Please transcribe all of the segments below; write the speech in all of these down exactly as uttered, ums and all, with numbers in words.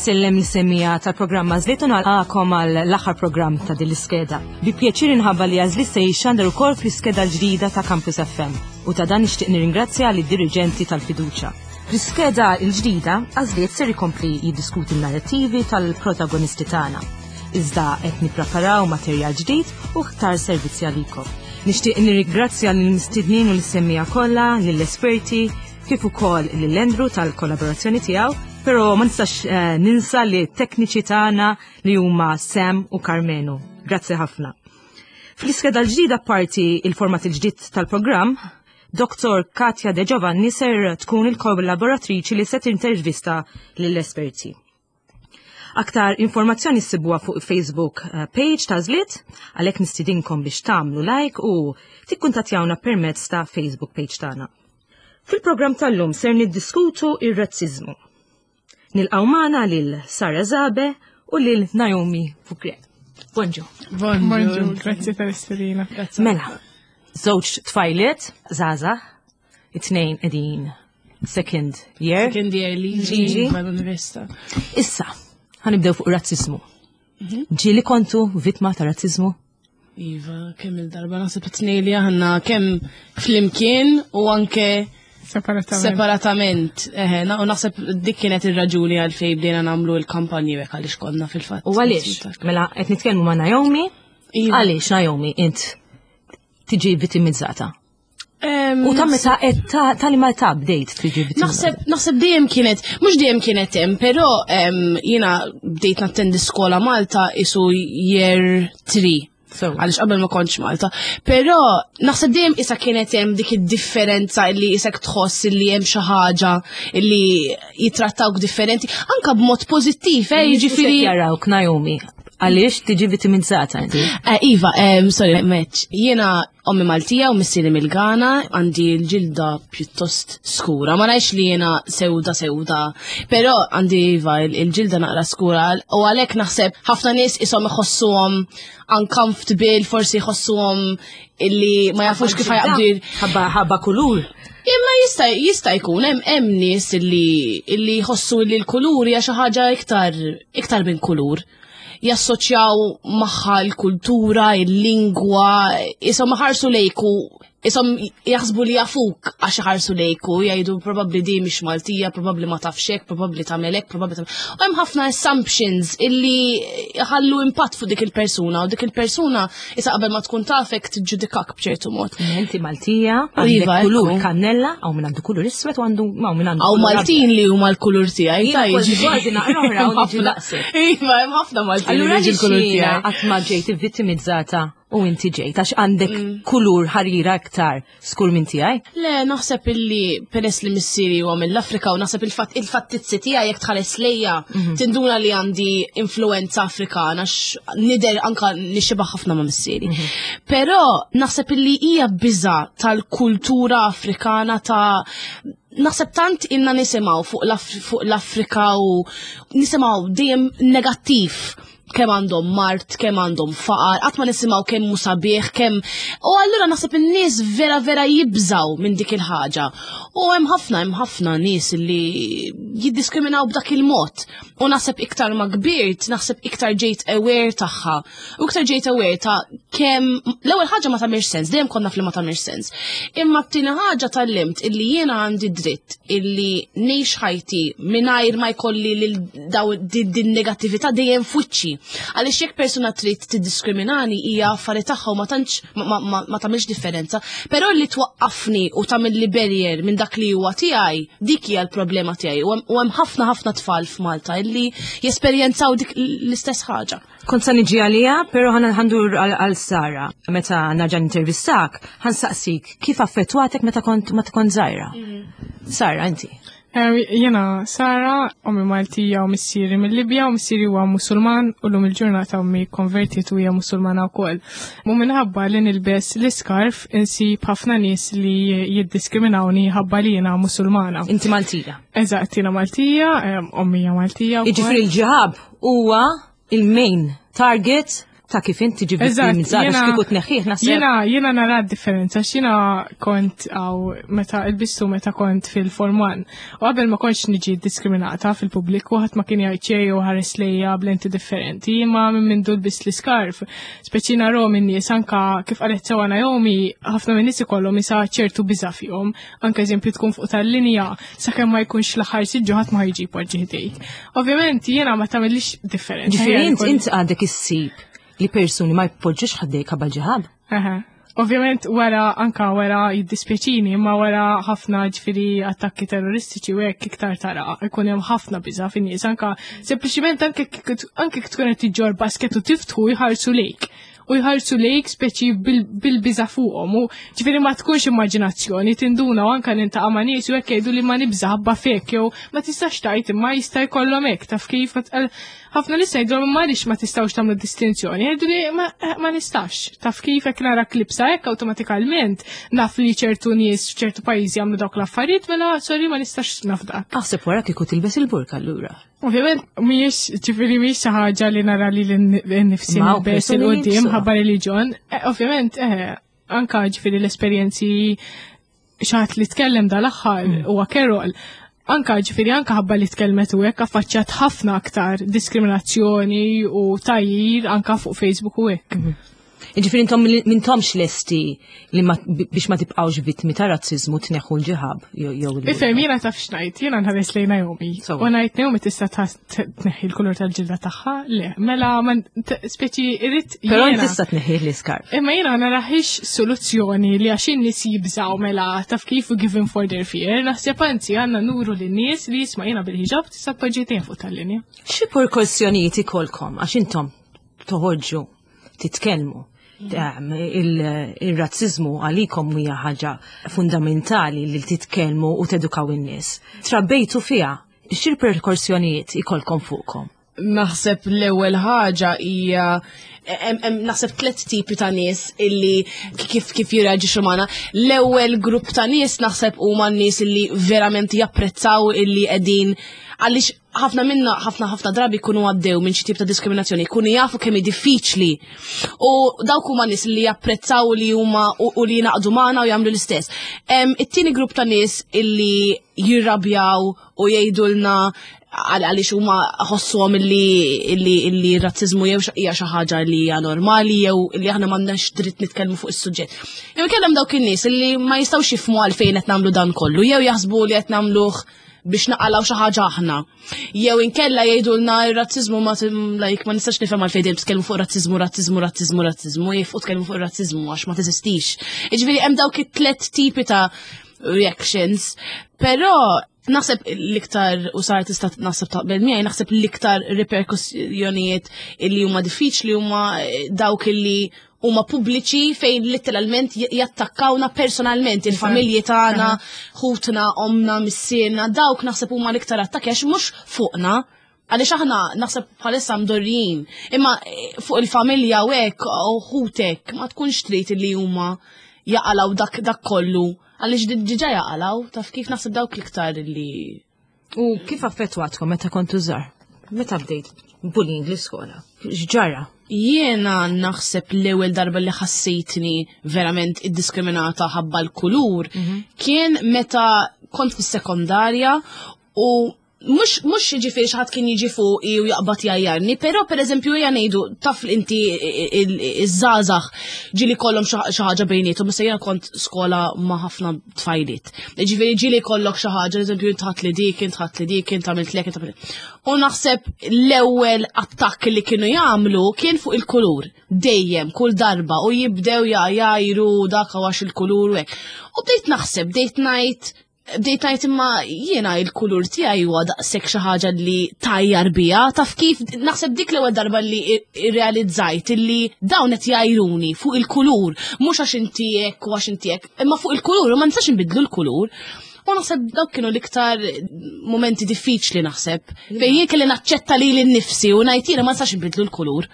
Insellem lis-semmiegħa tal-programm Għażliet u nilqagħkom għall-aħħar programm ta' din l-iskeda. Bi pjaċir inħabbar li Għażliet se jixxandar ukoll fl-iskeda l-ġdida ta' Campus F M u ta' dan nixtieq nirringrazzja lid-diriġenti tal-fiduċja. Fl-iskeda l-ġdida, Għażliet ser ikompli jiddiskuti n-narrativi tal-protagonisti tagħna. Iżda qed nippreparaw materjal ġdid u aktar servizzi għalikom. Nixtieq nirringrazzja lill-mistednin u lis-semmiegħa kollha, lill-esperti, kif ukoll lil Andrew tal-kollaborazzjoni tiegħu, però ma nistax eh, ninsa li tekniċi tagħna li huma Sam u Carmenu. Grazzi ħafna. Fl-iskeda l-ġdida, parti il-format il-ġdid tal-programm, Doktor Katja De Giovanni ser tkun il-kollaboratriċi li se tintervista lill-esperti. Aktar informazzjoni ssibuha fuq Facebook eh, page ta' Għażliet, għalhekk nistidinkom biex tagħmlu like u tikkuntattjawna permezz ta' Facebook page tagħna. Fil-programm tal-lum ser niddiskutu ir-razzizmu. Nilqgħu magħna lil Sara Zabe u lil Naomi Fukre. Bonġu. Bonġu, grazzi tal-istedina. Mela, żewġ tfajliet, żgħażagħ, it-tnejn qegħdin second year. Second year liġi Liġi. mal-università. Issa, ħa nibdew fuq razzizmu. Ġieli kontu vittma ta' razzizmu? Iva, kemm il-darba, naħseb it-tnejn li aħna, kemm flimkien u anke Separatament. Separatament. Eħe, na- u naħseb dik kienet ir-raġuni għalfejn bdejna nagħmlu l-kampanji hekk, għaliex konna fil-fatt. U għaliex? Mela, qed nitkellmu ma' Naomi. Iva. Għaliex, Naomi, int tiġi vittimizzata? Em, U ta' meta qed ta' ta' li ma ta' bdejt tiġi vittimizzata? Naħseb, naħseb dejjem kienet, mhux dejjem kienet hemm, però em, jiena bdejt nattendi skola Malta isu year three. So, Għaliex qabel ma kontx Malta. Però naħseb dejjem isa kienet hemm dik id-differenza illi isek tħoss illi hemm xi ħaġa illi jitrattawk differenti, anka b'mod pożittiv, eh, jiġifieri. Jarawk, Naomi, għaliex tiġi vittimizzata inti? Eh, Iva, um, sorry, meċ, jiena ommi Maltija u missieri mill-Ghana, għandi l-ġilda pjuttost skura. Ma ngħidx li jiena sewda sewda, però għandi, iva, il- il-ġilda naqra skura u għalhekk naħseb ħafna nies ishom iħossuhom uncomfortable, forsi jħossuhom illi ma jafux kif ħa jaqbdu. Ħabba ħabba kulur. Imma jista' jista' jkun hemm hemm nies illi illi jħossu li l-kulur hija xi ħaġa iktar iktar minn kulur. Jassoċjaw magħha l-kultura, il-lingwa, ishom ħarsu lejku, ishom jaħsbu li jafuk għax ħarsu lejku, jgħidu probabbli di mhix Maltija, probabbli ma tafx hekk, probabbli tagħmel hekk, probabbli tagħmel. U hemm ħafna assumptions illi ħallu impatt fuq dik il-persuna u dik il-persuna issa qabel ma tkun tafek tiġġudikak b'ċertu mod. Inti Maltija, Iva, għandek kulur ekku. kannella, hawn min għandu kulur iswed u għandu hawn min għandu Hawn kulur Maltin li huma l-kulur tiegħi, Jiena ta' kważi jiġifieri. kważi naqra oħra u niġi daqsek. Iva, hemm ħafna Maltin li Allura jiġi l-kulur għaliex jiena tiegħi. qatt ma ġejt vittimizzata u inti ġejt, għax għandek kulur ħarira aktar skur minn tiegħi? Le, naħseb illi peress li missieri huwa mill-Afrika u naħseb il-fatt il-fattizzi tiegħi, jekk tħares lejja, tinduna li għandi influenza Afrikana għax nidher anka nixxiebaħ ħafna ma' missieri. Però naħseb illi hija biża tal-kultura Afrikana, ta' naħseb tant inna nisimgħu fuq l-Af- fuq l-Afrika u nisimgħu dejjem negattiv, kemm għandhom mard, kemm għandhom faqar, qatt ma nisimgħu kemm hu sabiħ, kemm, u allura naħseb in-nies vera vera jibżaw minn dik il-ħaġa. U hemm ħafna hemm ħafna nies li jiddiskriminaw b'dak il-mod. U naħseb iktar ma kbirt, naħseb iktar ġejt aware tagħha. U iktar ġejt aware ta' kemm l-ewwel ħaġa ma tagħmilx sens, dejjem konna fli ma tagħmilx sens. Imma t-tieni ħaġa tgħallimt illi jiena għandi dritt illi ngħix ħajti mingħajr ma jkolli lil daw din din negattività dejjem f'wiċċi. Għaliex jekk persuna trid tiddiskriminani hija affari tagħha u ma tantx ma, ma, ma, ma tagħmilx differenza. Però li twaqqafni u tagħmel li barrier minn dak li huwa tiegħi, dik hija l-problema tiegħi. U hemm- U hemm ħafna ħafna tfal f'Malta illi jesperjenzaw dik l-istess ħaġa. Kont sa niġi għalija, pero ħa ndur għal għal Sara. Meta nerġa' intervistak, ħa nsaqsik kif affettwatek meta kont meta kont żgħira. Sara, inti. Eh, Jiena Sara, ommi Maltija u missieri mill-Libja, u missieri huwa Musulman u llum il-ġurnata ommi konvertiet u hija Musulmana wkoll. Mu minħabba li nilbes l-iskarf insib ħafna nies li jiddiskriminawni ħabba li jiena Musulmana. Inti Maltija. Eżatt, jiena Maltija, em, ommi hija Maltija wkoll. Jiġifieri l-ġihab huwa il-main target. ta' kif inti ġi vittimizzata kieku tneħħih naħseb. Jiena jiena nara differenza x'jiena kont għaw meta ilbistu meta kont fil-Form one. U qabel ma kontx niġi diskriminata fil-pubbliku, ħadd ma kien jgħid xejn u ħares lejja b'lenti differenti, imma minn mindu lbist l-iskarf. Speċi narahom in-nies anka kif qalet sewa Naomi, ħafna minn nies ikollhom isa ċertu biża' fihom. Anke eżempju tkun fuq tal-linja sakemm ma jkunx l-aħħar siġġu ħadd ma jiġi jpoġġi ħdejk. Ovvjament jiena ma tagħmilix differenza. Ġifieri Jien int kolli- int għadek issib li persuni ma jpoġġux ħdejk ħabba ġiħab. Aha. Ovvjament wara anka wara jiddispjaċini, imma wara ħafna ġifieri attakki terroristiċi u hekk iktar tara ikun hemm ħafna biża' fin-nies anka sempliċiment anke kik- anke kif tkun qed tiġġor basket u tiftħu jħarsu lejk. U jħarsu lejk speċi bil-biża' fuqhom u ġifieri ma tkunx immaġinazzjoni tinduna u anka niltaqa' ma' nies u hekk jgħidu li ma nibża' ħabba fek jew ma tistax tgħid imma jista' jkollhom hekk taf kif ma tqal- ħafna nies jgħidu ma għaliex ma tistgħux tagħmlu distinzjoni, jgħidu li ma, ma nistax. Taf kif hekk nara klibsa hekk awtomatikament naf li ċertu nies f'ċertu pajjiżi jagħmlu dawk l-affarijiet mela sorry ma nistax naf dak. Aħseb wara kieku tilbes il-burka allura. Ovvjament mhijiex ġifieri mhijiex xi ħaġa li nara li l-nifsi Ma' nilbes persuni li il-qudiem jilbsuha. ħabba reliġjon. Eh, Ovvjament eh, anka ġifieri l-esperjenzi xi ħadd li tkellem dal-aħħar Mm. huwa Carol. Anka ġifieri anka ħabba li tkellmet u hekk affaċċjat ħafna aktar diskriminazzjoni u tgħajjir anka fuq Facebook u hekk. Ġifieri intom m'intomx lesti li ma, biex ma tibqawx vittmi ta' razzizmu tneħħu l-ġiħab jew jew il- Ifhem, jiena taf x'ngħid, jiena nħares lejn Naomi. So. U ngħid Naomi tista' ta- tneħħi l-kulur tal-ġilda tagħha? Le, mela man t- speċi irrid Però jiena- tista' tneħħi l-iskarf. Imma jiena narahiex soluzzjoni li għax in-nies jibżaw mela taf kif u given for their fear, naħseb anzi għandna nuru lin-nies li jisma' jiena bil-ħiġab tista' tpoġġi fuq tal-linja. Xi riperkussjonijiet ikolkom għax intom toħorġu titkellmu. Ehm, il- Il-razzizmu għalikom hija ħaġa fundamentali li titkellmu u tedukaw in-nies. Trabbejtu fiha, xi riperkussjonijiet ikolkom fuqkom? Naħseb l-ewwel ħaġa hija hemm hemm naħseb tliet tipi ta' nies illi kif kif jirreaġixxu magħna. L-ewwel grupp ta' nies naħseb huma n-nies illi verament japprezzaw illi qegħdin għaliex ħafna minna ħafna ħafna drabi jkunu għaddew minn xi tip ta' diskriminazzjoni, jkunu jafu kemm hi diffiċli. U dawk huma nies li japprezzaw li huma u, u li jingħaqdu magħna u jagħmlu l-istess. Em, It-tieni grupp ta' nies illi jirrabjaw u jgħidulna għal- għaliex huma ħossuhom illi illi illi razzizmu jew xa- hija xi ħaġa li hija normali jew illi aħna m'għandnax dritt nitkellmu fuq is-suġġett. Jew ikellem dawk in-nies illi ma jistgħux jifhmu għalfejn qed nagħmlu dan kollu, jew jaħsbu li qed nagħmluh biex naqalaw xi ħaġa aħna. Jew inkella jgħidulna r-razzizmu ma tim- like ma nistax nifhem għalfejn dejjem titkellmu fuq razzizmu, razzizmu, razzizmu, razzizmu, jifqu tkellmu fuq razzizmu għax ma teżistix. Jiġifieri hemm dawk it-tlet tipi ta' reactions, però naħseb l-iktar u sar tista' naħseb taqbel miegħi, naħseb l-iktar riperkussjonijiet illi huma diffiċli huma eh, dawk illi huma pubbliċi fejn literalment j- jattakkawna personalment il-familji tagħna, ħutna, omna, missierna, dawk naħseb huma l-iktar attakki għax mhux fuqna. Għaliex aħna naħseb bħalissa mdorrijin, imma eh, fuq il-familja u hekk u ħutek ma tkunx trid li huma jaqalaw dak dak kollu. Għaliex di- diġà jaqalaw, taf kif naħseb dawk l-iktar li U kif affettwatkom meta kontu żgħar? Meta bdejt bullying l-iskola? X'ġara? Jiena naħseb l-ewwel darba li ħassejtni verament iddiskriminata ħabba l-kulur kien meta kont fis-sekondarja u mhux mhux jiġifieri xi ħadd kien jiġi fuqi u jaqbad jgħajjarni, però pereżempju ejja ngħidu taf li inti iż-żgħażagħ ġieli kollhom xi xi ħaġa bejniethom, issa jiena kont skola ma' ħafna tfajliet. Ġifieri ġieli kollok xi ħaġa, eżempju intħat li dik, intħat li dik, int għamilt lek, int għamilt. U naħseb l-ewwel attakk li kienu jagħmlu kien fuq il-kulur. Dejjem, kull darba, u jibdew jgħajru dak għax il-kulur u hekk. U bdejt naħseb, bdejt ngħid bdejt ngħid imma jiena il-kulur tiegħi huwa daqshekk xi ħaġa li tgħajjar biha, taf kif naħseb dik l-ewwel darba li irrealizzajt illi dawn qed jgħajruni fuq il-kulur, mhux għax inti hekk u għax inti hekk, imma fuq il-kulur u ma nistax inbidlu l-kulur. U naħseb dawk kienu l-iktar momenti diffiċli naħseb. Fejn jien kelli naċċetta lili nnifsi u ngħid jiena ma nistax inbidlu l-kulur.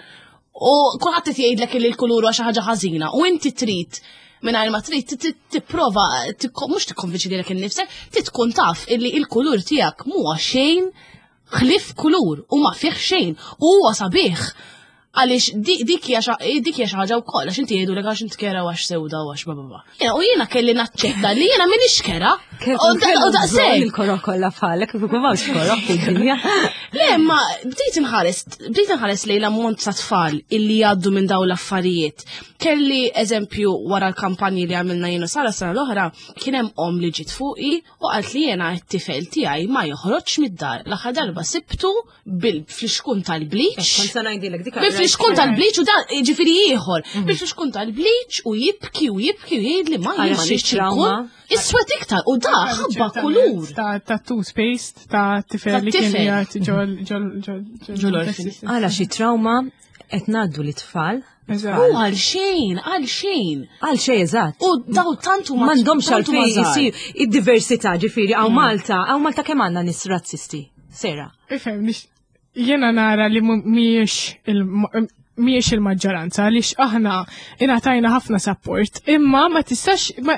U kulħadd qed jgħidlek li l-kulur huwa xi ħaġa ħażina u inti trid mingħajr ma trid tipprova mhux tikkonvinċi lilek innifsek, trid tkun taf illi il-kulur tiegħek mhuwa xejn ħlief kulur u ma fih xejn u huwa sabiħ. Għaliex dik hija xi ħaġa wkoll għax inti jgħidulek għax inti kerha għax sewda u għax bla. U jiena kelli naċċetta li jiena m'iniex kerha. U daqshekk. Il-koroh kollha bħalek, kif ikun m'hawnx koroh fid-dinja. Le, ma bdejt inħares, bdejt inħares lejn l-ammont ta' tfal illi jgħaddu minn dawn l-affarijiet. Kelli eżempju wara l-kampanji li għamilna jiena Sara sena l-oħra, kien hemm om li ġiet fuqi u qalt li jiena t-tifel tiegħi ma joħroġx mid-dar. L-aħħar darba sibtu bil-flixkun tal-bleach. Kont se ngħidilek dik Bil-flixkun tal-bleach u dan ġifieri ieħor. Bil-flixkun tal-bleach u jibki u jibki u jgħid li ma Għala jien ma xi nixtieq trauma. ikun iswed iktar u da ħabba kulur. Ta' ta' toothpaste ta' tifel li kien Ta' tifel. jgħat ġol ġol ġol Ġol orphan. Għala xi trauma qed ngħaddu lit-tfal. Eżatt. U għal xejn, għal xejn. Għal xejn eżatt. U daw tantu ma M'għandhomx tantu ma għalfejn żgħar. isir id-diversità ġifieri hawn Malta, hawn Malta kemm għandna nies razzisti. Sera. Ifhem, nix- jiena nara li mu- mhijiex il- mhijiex il-maġġoranza għaliex aħna ingħatajna ħafna support, imma ma tistax ma,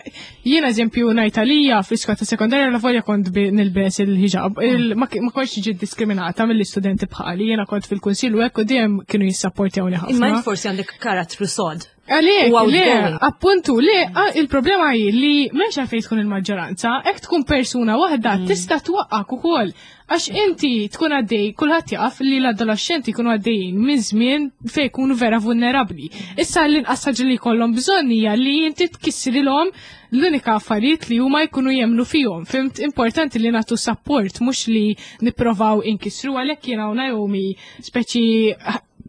jiena eżempju ngħid għalija fl-iskola ta' sekondarja la volja kont bi- nilbes il-hijab, il, ma, ma kontx ġiet diskriminata mill-istudenti bħali, jiena kont fil-kunsill u hekk u dejjem kienu jissapportjawni ħafna. Imma int forsi għandek karattru sod. Għalek, U le, outgoing. appuntu, le, a- il-problema hi li m'hemmx għalfejn tkun il-maġġoranza, hekk tkun persuna waħda tista' twaqqak ukoll. Għax inti tkun għaddej, kulħadd jaf li l-adolescenti jkunu għaddejjin minn żmien fejn jkunu vera vulnerabbli. Issa l-inqas ħaġa li jkollhom bżonn hija li inti tkissrilhom l-unika affarijiet li huma jkunu jemnu fihom. Fhimt importanti li nagħtu support mhux li nipprovaw inkissru għalhekk jiena u Naomi speċi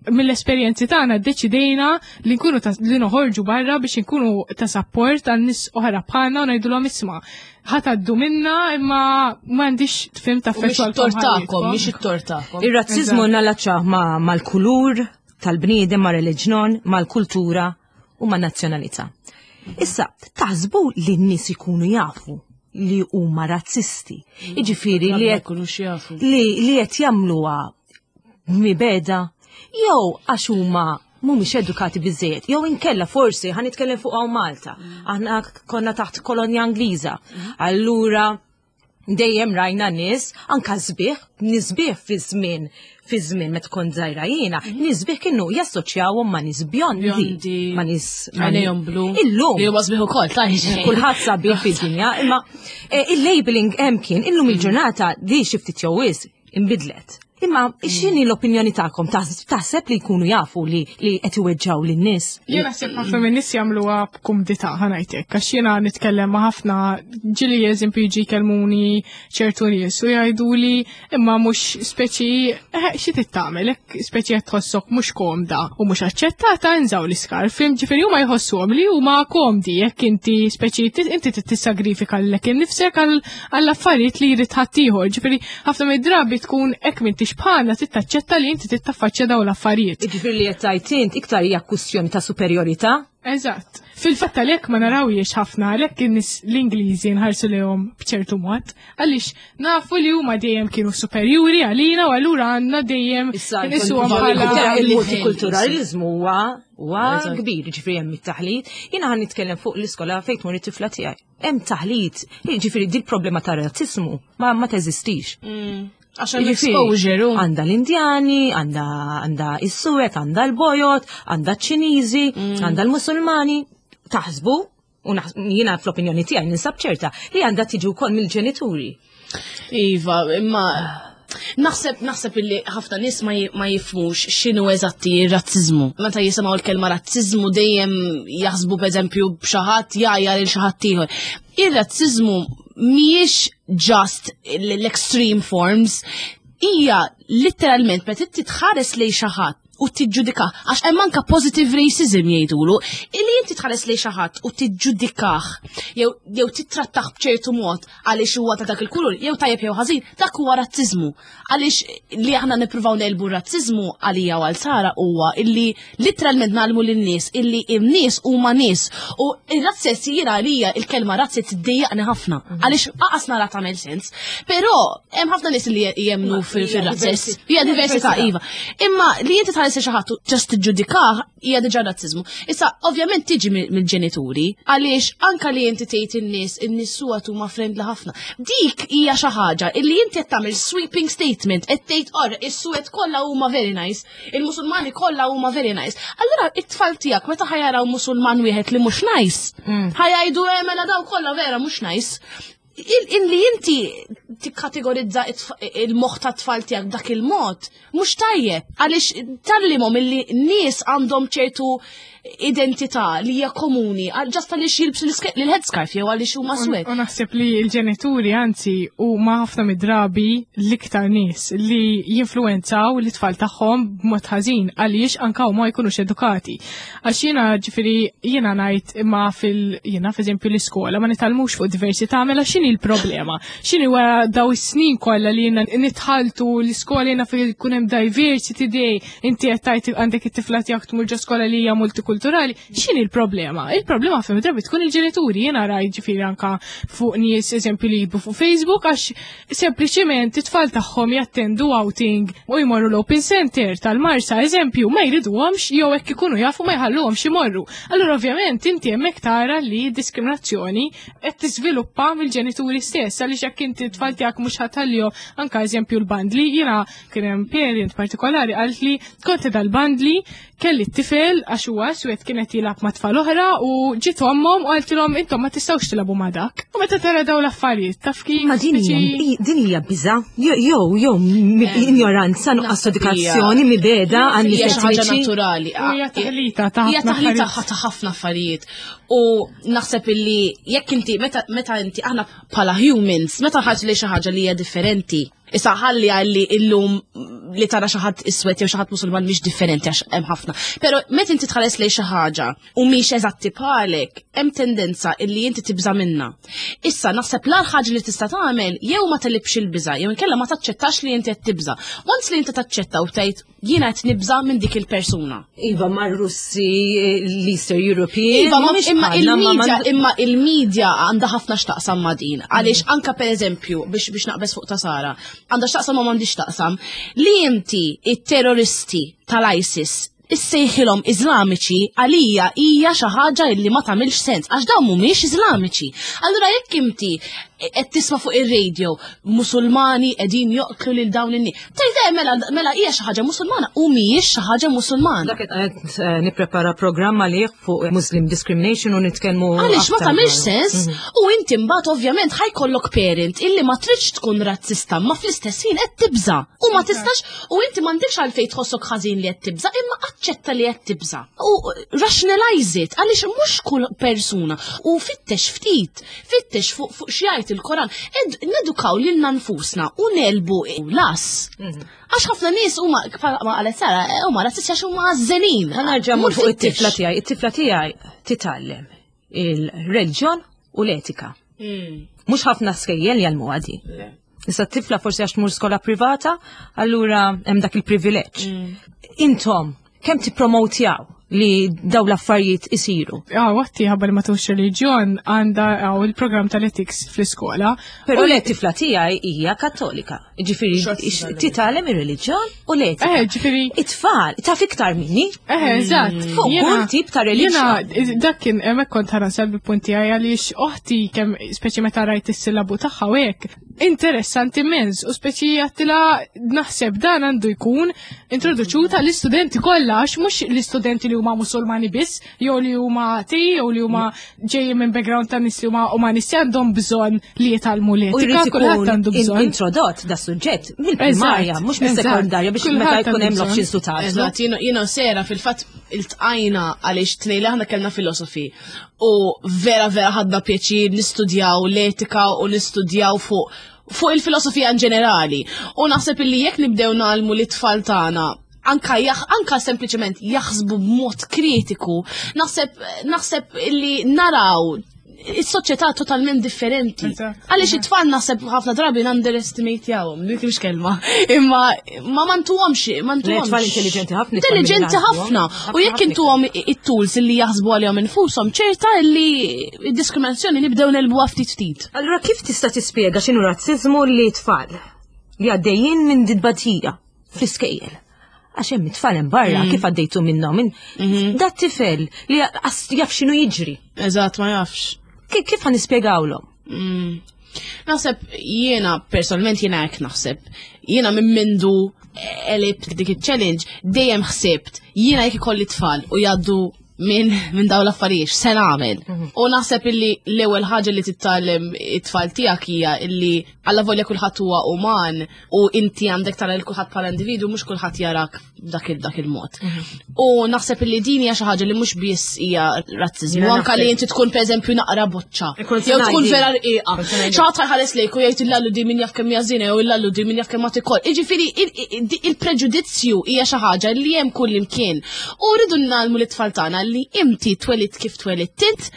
mill-esperjenzi tagħna ddeċidejna li nkunu ta' li noħorġu barra biex nkunu ta' support għal nies oħra bħalna u ngħidulhom isma' ħa tgħaddu minna imma m'għandix tfim ta' U mhix it-tort tagħkom, mhix it-tort tagħkom. Ir-razzizmu nallaċċah ma' mal-kulur tal-bniedem, ma' reliġjon, mal-kultura u ma' nazzjonalità. Issa, taħsbu li n-nies ikunu jafu li huma razzisti. Jiġifieri li Ma qed jkunux jafu. li li qed jagħmluha mibegħda jew għax huma mhumiex edukati biżejjed, jew inkella forsi ħa nitkellem fuq hawn Malta. Aħna konna taħt kolonja Ingliża. Allura dejjem rajna nies anka sbieħ, nies sbieħ fi żmien fi żmien meta kont żgħira jiena, nies sbieħ kienu jassoċjawhom ma' nies bjondi, Bjondi. ma' nies ma' Għajnejhom blu. Illum Li huma sbieħ ukoll, tajġ. kulħadd sabiħ fid-dinja, imma eh, il-labeling hemm kien illum il-ġurnata di xi ftit jew wisq inbidlet. Imma x'inhi l-opinjoni tagħkom taħseb li jkunu jafu li li qed iweġġaw lin-nies? Jien naħseb ħafna minn nies jagħmluha b'kumdità ħa ngħidlek, għax jiena nitkellem ma' ħafna ġieli eżempju jiġi jkellmuni ċertu nies u jgħiduli imma mhux speċi eh, xi trid tagħmel hekk speċi qed tħossok mhux komda u mhux aċċettata inżgħu l-iskarf, ġifieri huma jħossuhom li huma komdi jekk inti speċi ti- inti trid tissagrifika lilek innifsek għall affarijiet li jrid ħaddieħor. Ġifieri ħafna mid-drabi tkun hekk m'intix bħalna trid taċċetta li inti trid taffaċċja dawn l-affarijiet. Jiġifieri li qed tgħid int iktar hija kwistjoni ta' superjorità? Eżatt. Fil-fatt għalhekk ma narawhiex ħafna għalhekk in-nies l-Ingliżi nħarsu lejhom b'ċertu mod, għaliex nafu li huma dejjem kienu superjuri għalina u allura għandna dejjem Issa nisuhom bħala il-multikulturalizmu huwa huwa Eżatt. kbir, ġifieri hemm it-taħlit. Jiena ħa nitkellem fuq l-iskola fejn tmur it-tifla tiegħi. Hemm taħlit, ġifieri di l-problema ta' razzismu ma ma teżistix. Għax hemm Jiġifieri, exposure. u- Għandha l-Indjani, għandha għandha is-Suwed, għandha l-Bojod, għandha ċ-Ċiniżi, għandha l-Musulmani. Taħsbu, u naħs- jiena fl-opinjoni tiegħi ninsab ċerta li għandha tiġi wkoll mill-ġenituri. Iva, imma naħseb naħseb illi ħafna nies ma ji- ma jifhmux x'inhu eżatti r-razziżmu. Meta jisimgħu l-kelma razziżmu dejjem jaħsbu pereżempju b'xi ħadd jgħajjar lil xi ħadd ieħor. Ir-razziżmu mhijiex just l-extreme forms, hija literalment meta inti tħares lejn xi ħadd u tiġġudikah, għax hemm anka positive racism jgħidulu, illi inti tħares lejn xi ħadd u tiġġudikah jew jew tittrattah b'ċertu mod għaliex huwa ta' dak il-kulur, jew tajjeb jew ħażin, dak huwa razziżmu. Għaliex li aħna nippruvaw negħlbu r-razziżmu għalija u għal Sara huwa illi literalment ngħallmu lin-nies illi n-nies huma nies u ir-razzist jiena għalija il-kelma razzist tiddejjaqni ħafna għaliex aqas nara tagħmel sens. Però hemm ħafna nies li jemmnu fil-razzist. Hija diversità iva. Imma li inti tħares xi ħadd just tiġġudikah hija diġà razziżmu. Issa ovvjament Tiġi mill-ġenituri, għaliex anka li inti tgħid in-nies, in-nies suwed huma friendly ħafna. Dik hija xi ħaġa illi inti qed tagħmel sweeping statement, qed tgħid or is-suwed kollha huma very nice, il-Musulmani kollha huma very nice. Allura it-tfal tiegħek meta ħa jaraw Musulman wieħed li mhux nice, ħa jgħidu eh, mela daw kollha vera mhux nice. Illi inti tikkategorizza il-moħħ ta' tfal tiegħek dak il-mod, mhux tajjeb, għaliex tgħallimhom illi nies għandhom ċertu identità li hija komuni, just għaliex jilbsu l-headscarf jew għaliex huma swed. U naħseb li l-ġenituri anzi huma ħafna mid-drabi l-iktar nies li jinfluenzaw l-tfal tagħhom b'mod ħażin għaliex anka huma jkunux edukati. Għax jiena ġifieri jiena ngħid imma fil jiena f'eżempju l-iskola ma nitgħallmux fuq diversità, mela x'inhi l-problema? X'inhi wara daw is-snin kollha li jiena nitħaltu l-iskola, jiena fil kun hemm diversity day, inti qed tgħid għandek it-tifla tiegħek tmur ġo skola li hija multikulturali, x'inhi l-problema? Il-problema fejn drabi tkun il-ġenituri. Jiena rajt ġifieri anka fuq nies eżempju li jibbu fuq Facebook għax sempliċiment it-tfal tagħhom jattendu outing u jmorru l-open center tal-Marsa eżempju, ma jriduhomx jew hekk ikunu jafu ma jħalluhomx imorru. Allura ovvjament inti hemmhekk tara li diskriminazzjoni qed tiżviluppa mill-ġenituri stess, għaliex jekk inti t-tfal tiegħek mhux ħa tħallihom anka eżempju l-bandli, jiena kien hemm parent partikolari qalt li kont dal-bandli kelli t-tifel għax huwa iswed kienet jilgħab ma' tfal oħra u ġiet ommhom u qaltilhom intom ma tistgħux tilagħbu ma' dak. U meta tara daw l-affarijiet taf kif. Ma din hija din hija biża, jew jew ignoranza, nuqqas edukazzjoni, mibegħda għan Hija xi ħaġa naturali. Hija taħlita ta' Hija ħafna taħlita affarijiet. Ta' ħafna affarijiet. U naħseb illi jekk inti meta meta inti aħna bħala humans, meta ħaġa li xi ħaġa li hija differenti. Issa ħalli għalli illum li tara xi ħadd iswed jew xi ħadd Musulman mhix differenti għax hemm ħafna. Però meta inti tħares lejn xi ħaġa u mhix eżatti bħalek, hemm tendenza illi inti tibża minna. Issa naħseb l ħaġa li tista' tagħmel jew ma tegħlibx il-biża jew inkella ma taċċettax li inti qed tibża. Once li inti taċċetta u tgħid jiena qed nibża minn dik il-persuna. Iva, ma Russi, l-Eastern European. Iva, ma mhumiex imma bħalna, ma il-medja, ma- imma il-medja għandha ħafna x'taqsam ma' din. Għaliex anka per eżempju, biex biex naqbeż fuq ta' Sara, għandha x'taqsam ma m'għandix x'taqsam, li inti it-terroristi tal-ISIS issejħilhom Iżlamiċi għalija hija xi ħaġa li ma tagħmilx sens għax dawn mhumiex Iżlamiċi. Allura jekk inti qed tisma' fuq ir-radio Musulmani qegħdin joqtlu lil dawn in-nies. Tgħid eh, mela mela hija xi ħaġa Musulmana u mhijiex xi ħaġa Musulmana. Dak qed eh, nipprepara programm għalih fuq Muslim discrimination u nitkellmu. Għaliex ma aktar tagħmilx dwaru. sens u inti mbagħad ovvjament ħa jkollok parent illi ma tridx tkun razzista ma fl-istess ħin qed tibża. U ma tistax u inti m'għandekx għalfejn tħossok ħażin li qed tibża, imma aċċetta li qed tibża. U rationalize it għaliex mhux kull persuna u fittex ftit, fittex fuq fuq x'jgħid il-Koran. Ed nedukaw lilna nfusna u negħlbu las. Għax ħafna nies huma ma qalet Sara huma razzisti għax huma għażżenin. Ħa nerġa' Mur fuq fittex. it-tifla tiegħi. It-tifla tiegħi titgħallem il-reliġjon u l-etika. Mhux ħafna skejjel jgħallmu għadi. Issa t-tifla forsi għax tmur skola privata, allura hemm dak il-privileġġ. Intom, kemm tippromotjaw li daw l-affarijiet isiru? Ah, waqti ħabba li ma tux reliġjon għandha għaw il-program tal-ethics fl-iskola. Però U- le tifla tiegħi hija Kattolika. Ġifieri titgħallem ir-reliġjon u l-etika. Eh, ġifieri It-tfal, taf iktar minni. Eh, eżatt. Fuq Jiena- kull tip ta' reliġjon. Jiena, dak kien, hemmhekk kont ħa nasal bil-punti għaj għaliex oħti kemm speċi meta rajt is-sillabu tagħha u hekk, interessanti immens u speċi għedtilha naħseb dan għandu jkun introduċuta l-istudenti kollha, għax mhux l-istudenti li huma Musulmani biss, jew li huma atei, jew li huma ġejjin minn background ta' nies li huma umanisti għandhom bżonn li jitgħallmu U l-etika, jrid kulħadd ikun għandu in- bżonn. introdott da suġġett mill-primarja, Eżatt, mhux mis-sekondarja biex eżatt. meta Kulħadd jkun hemm għandu l-options to tagħżlu. Eżatt, jiena jiena Sera fil-fatt iltqajna għaliex tnejn li aħna kellna filosofi u vera vera ħadna pjaċir nistudjaw l-etika u nistudjaw fuq fuq il-filosofija in ġenerali. U naħseb illi jekk nibdew ngħallmu lit-tfal tagħna anka jaħ, anka sempliċement jaħsbu b'mod kritiku, naħseb naħseb illi naraw is-soċjetà totalment differenti. Eżatt. Għaliex it-tfal naħseb ħafna drabi n-underestimate-jawhom, dik mhix kelma. Imma ma mantuhomx, mantuhomx. Le, tfal intelligenti ħafna, it-tfal Intelligenti mill-għandhom. ħafna. U jekk Ħafna. intuhom it-tools li jaħsbu għalihom infushom, ċerta li id-diskriminazzjoni nibdew negħlbuha ftit ftit. Allura kif tista' tispjega x'inhu razziżmu li tfal li għaddejjin minn didbatija fl-iskejjel? Għax hemm it-tfal hemm barra kif għaddejtu minnhom. Min dat tifel li għas- jaf x'inhu jiġri. Eżatt, ma jafx. Ki- Kif ħa nispjegawlhom? Mm. Naħseb jiena personalment jiena hekk naħseb. Jiena minn mindu għelibt dik il-challenge dejjem ħsibt jiena jekk ikolli tfal u jgħaddu minn min dawn l-affarijiet se nagħmel. U naħseb illi l-ewwel ħaġa li titgħallem it-tfal tiegħek hija illi alla volja kulħadd huwa uman u inti għandek tara lil kulħadd bħala individu mhux kulħadd jarak dak il dak il-mod. U naħseb illi din hija xi ħaġa li mhux biss hija razziżmu, Jiena anke li naħseb- inti tkun pereżempju naqra boċċa. Kont se Jew tkun ngħidi. vera rqiqa. Kont se ngħidi. Xi ħadd ħares lejk u jgħid illallu di min jaf kemm hija żina jew illallu di min jaf kemm ma tikol. Jiġifieri il- il-preġudizzju hija xi ħaġa li hemm kull imkien. U rridu ngħallmu lit-tfal tagħna li inti twelidt kif twelidt int,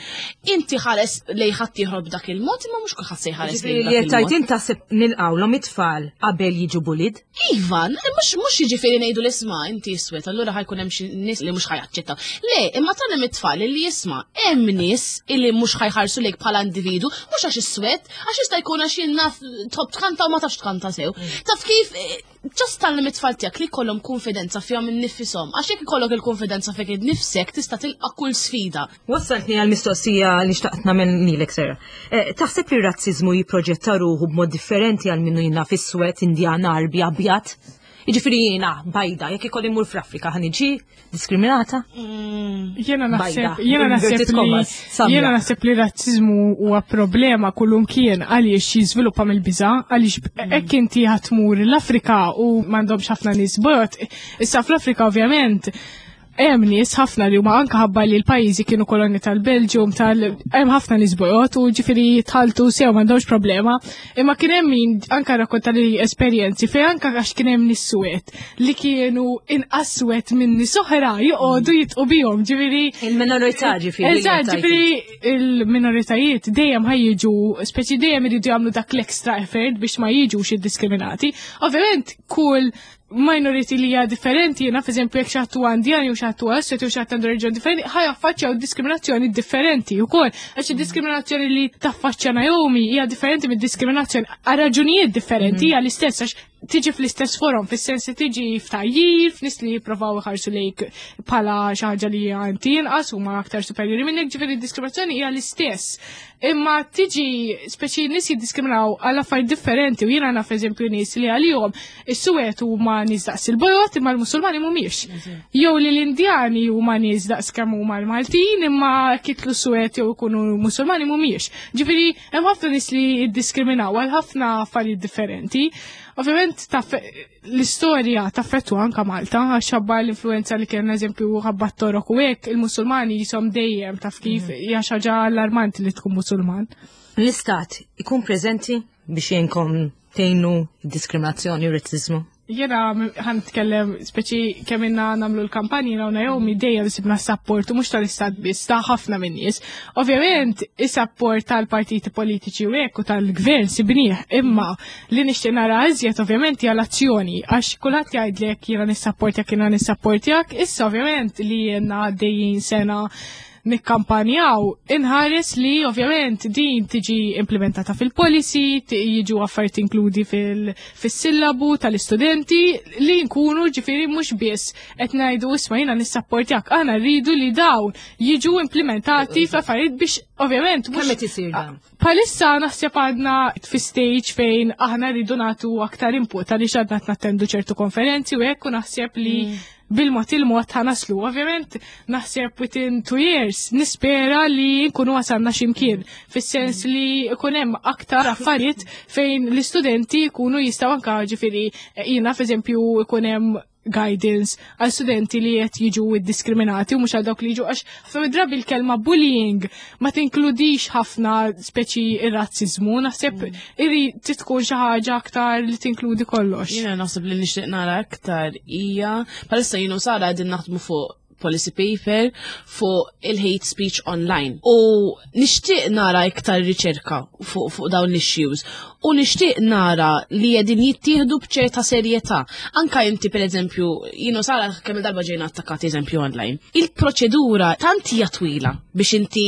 inti ħares lejn ħadd ieħor b'dak il-mod, imma mhux kulħadd se jħares lejn Li dak qed tgħid il-mod. int taħseb nilqawlhom it-tfal qabel jiġu bullied? Iva, mhux mhux jiġifieri ngħidu l-isma' inti iswed, allura ħa jkun hemm xi nies li mhux ħa jaċċettaw. Le, imma tgħallem it-tfal li jisma' hemm nies illi mhux ħa jħarsu lejk bħala individu, mhux għax iswed, għax jista' jkun għax jien naf tħobb tkanta u ma tafx tkanta sew. Taf kif eh, just tgħallem it-tfal tiegħek li jkollhom konfidenza fihom innifishom. Għax jekk ikollok il-konfidenza fik innifsek tista' tilqa' kull sfida. Wassaltni għal-mistoqsija li xtaqt nagħmel lilek Sara. Eh, Taħseb li r-razzizmu jipproġetta ruħu b'mod differenti għal minnu jiena fis-swed, Indjan, Arbi, Abjad? Jiġifieri jiena bajda, jekk ikolli mmur fl-Afrika ħa niġi diskriminata? Jena naħseb, Bajda. jena naħseb Inverted li, commas, samra. jena naħseb li razzizmu huwa problema kullumkien għaliex jiżviluppa mill-biża, għaliex hekk inti ħa tmur l-Afrika u m'għandhomx ħafna nies bojod. Issa fl-Afrika ovvjament hemm nies ħafna li huma anke ħabba li l-pajjiżi kienu kolonji tal-Belġium tal hemm ħafna nies bojod u ġifieri jitħaltu sew m'għandhomx problema. Imma kien hemm min anke rakkonta li esperjenzi fejn anke għax kien hemm nies suwed li kienu inqas suwed minn nies oħra joqogħdu jidħqu bihom, ġifieri Il-minorità ġifieri. li Eżatt, qed tgħid. ġifieri il-minoritajiet dejjem ħa jiġu, speċi dejjem iridu jagħmlu dak l-extra effort biex ma jiġux iddiskriminati. Ovvjament, kull minority li hija differenti, jiena f'eżempju jekk xi ħadd huwa Indjan jew xi ħadd huwa iswed jew xi ħadd għandu reliġjon differenti, ħa jaffaċċjaw diskriminazzjoni differenti wkoll. Għax id-diskriminazzjoni li taffaċċja Naomi hija differenti mid-diskriminazzjoni għal raġunijiet differenti hija l-istess għax tiġi fl-istess forum, fis-sens li tiġi f'tgħajjir, f'nies li jippruvaw iħarsu lejk bħala xi ħaġa li hija inti inqas huma aktar superjuri minnek, ġifieri d-diskriminazzjoni hija l-istess. Imma tiġi speċi nies jiddiskriminaw għal affarijiet differenti u jiena naf eżempju nies li għalihom is-suwed huma nies daqs il-bojod imma l-Musulmani mhumiex. Jew li l-Indjani huma nies daqs kemm huma l-Maltin imma kitlu suwed jew ikunu Musulmani mhumiex. Ġifieri hemm ħafna nies li jiddiskriminaw għal ħafna affarijiet differenti. Ovvjament taf l-istorja taffettwa anka Malta, għax ħabba l-influenza li kien eżempju ħabba t-Torok u hekk, il-Musulmani jisom dejjem taf kif hija xi ħaġa allarmanti li tkun Musulman. L-istat ikun preżenti biex jgħinkom tgħinu diskriminazzjoni u razzizmu? Jena ħa nitkellem speċi kemm ilna nagħmlu l-kampanji jiena u Naomi dejjem sibna support u mhux tal-istat biss ta' ħafna minn nies. Ovvjament is-support tal-partiti politiċi u hekk u tal-gvern sibnieh, imma li nixtieq nara iżjed ovvjament hija l-azzjoni għax kulħadd jgħidlek jiena nissapportjak jiena nissapportjak, issa ovvjament li jiena għaddejjin sena nikkampanjaw, inħares li ovvjament din tiġi implementata fil-policy, ti- jiġu affarijiet inkludi fil-sillabu tal-istudenti li nkunu ġifieri mhux biss qed ngħidu isma' jiena nissapportjak, aħna rridu li dawn jiġu implementati f'affarijiet biex ovvjament mhux Kemm qed isir dan? Bħalissa naħseb għadna fi stage fejn aħna rridu nagħtu aktar input għaliex għadna nattendu ċertu konferenzi u hekk u naħseb li bil-mod il-mod ħa naslu. Ovvjament naħseb within two years nispera li nkunu wasalna x'imkien fis-sens li ikun hemm aktar affarijiet fejn l-istudenti jkunu jistgħu anka ġifieri jiena f'eżempju ikun hemm guidance għal studenti li qed jiġu diskriminati u mhux għal dawk li jiġu għax ħafna drabi l-kelma bullying ma tinkludix ħafna speċi ir-razzizmu, naħseb iri tkun xi ħaġa aktar li tinkludi kollox. Jiena naħseb li nixtieq nara aktar hija bħalissa jien u Sara qegħdin naħdmu fuq policy paper fuq il-hate speech online. U nixtieq nara iktar riċerka fuq fuq dawn l-issues. U nixtieq nara li qegħdin jittieħdu b'ċerta serjetà. Anka inti, per eżempju, jiena u Sara kemm darba ġejna attakkati, eżempju, online. Il-proċedura tant hija twila biex inti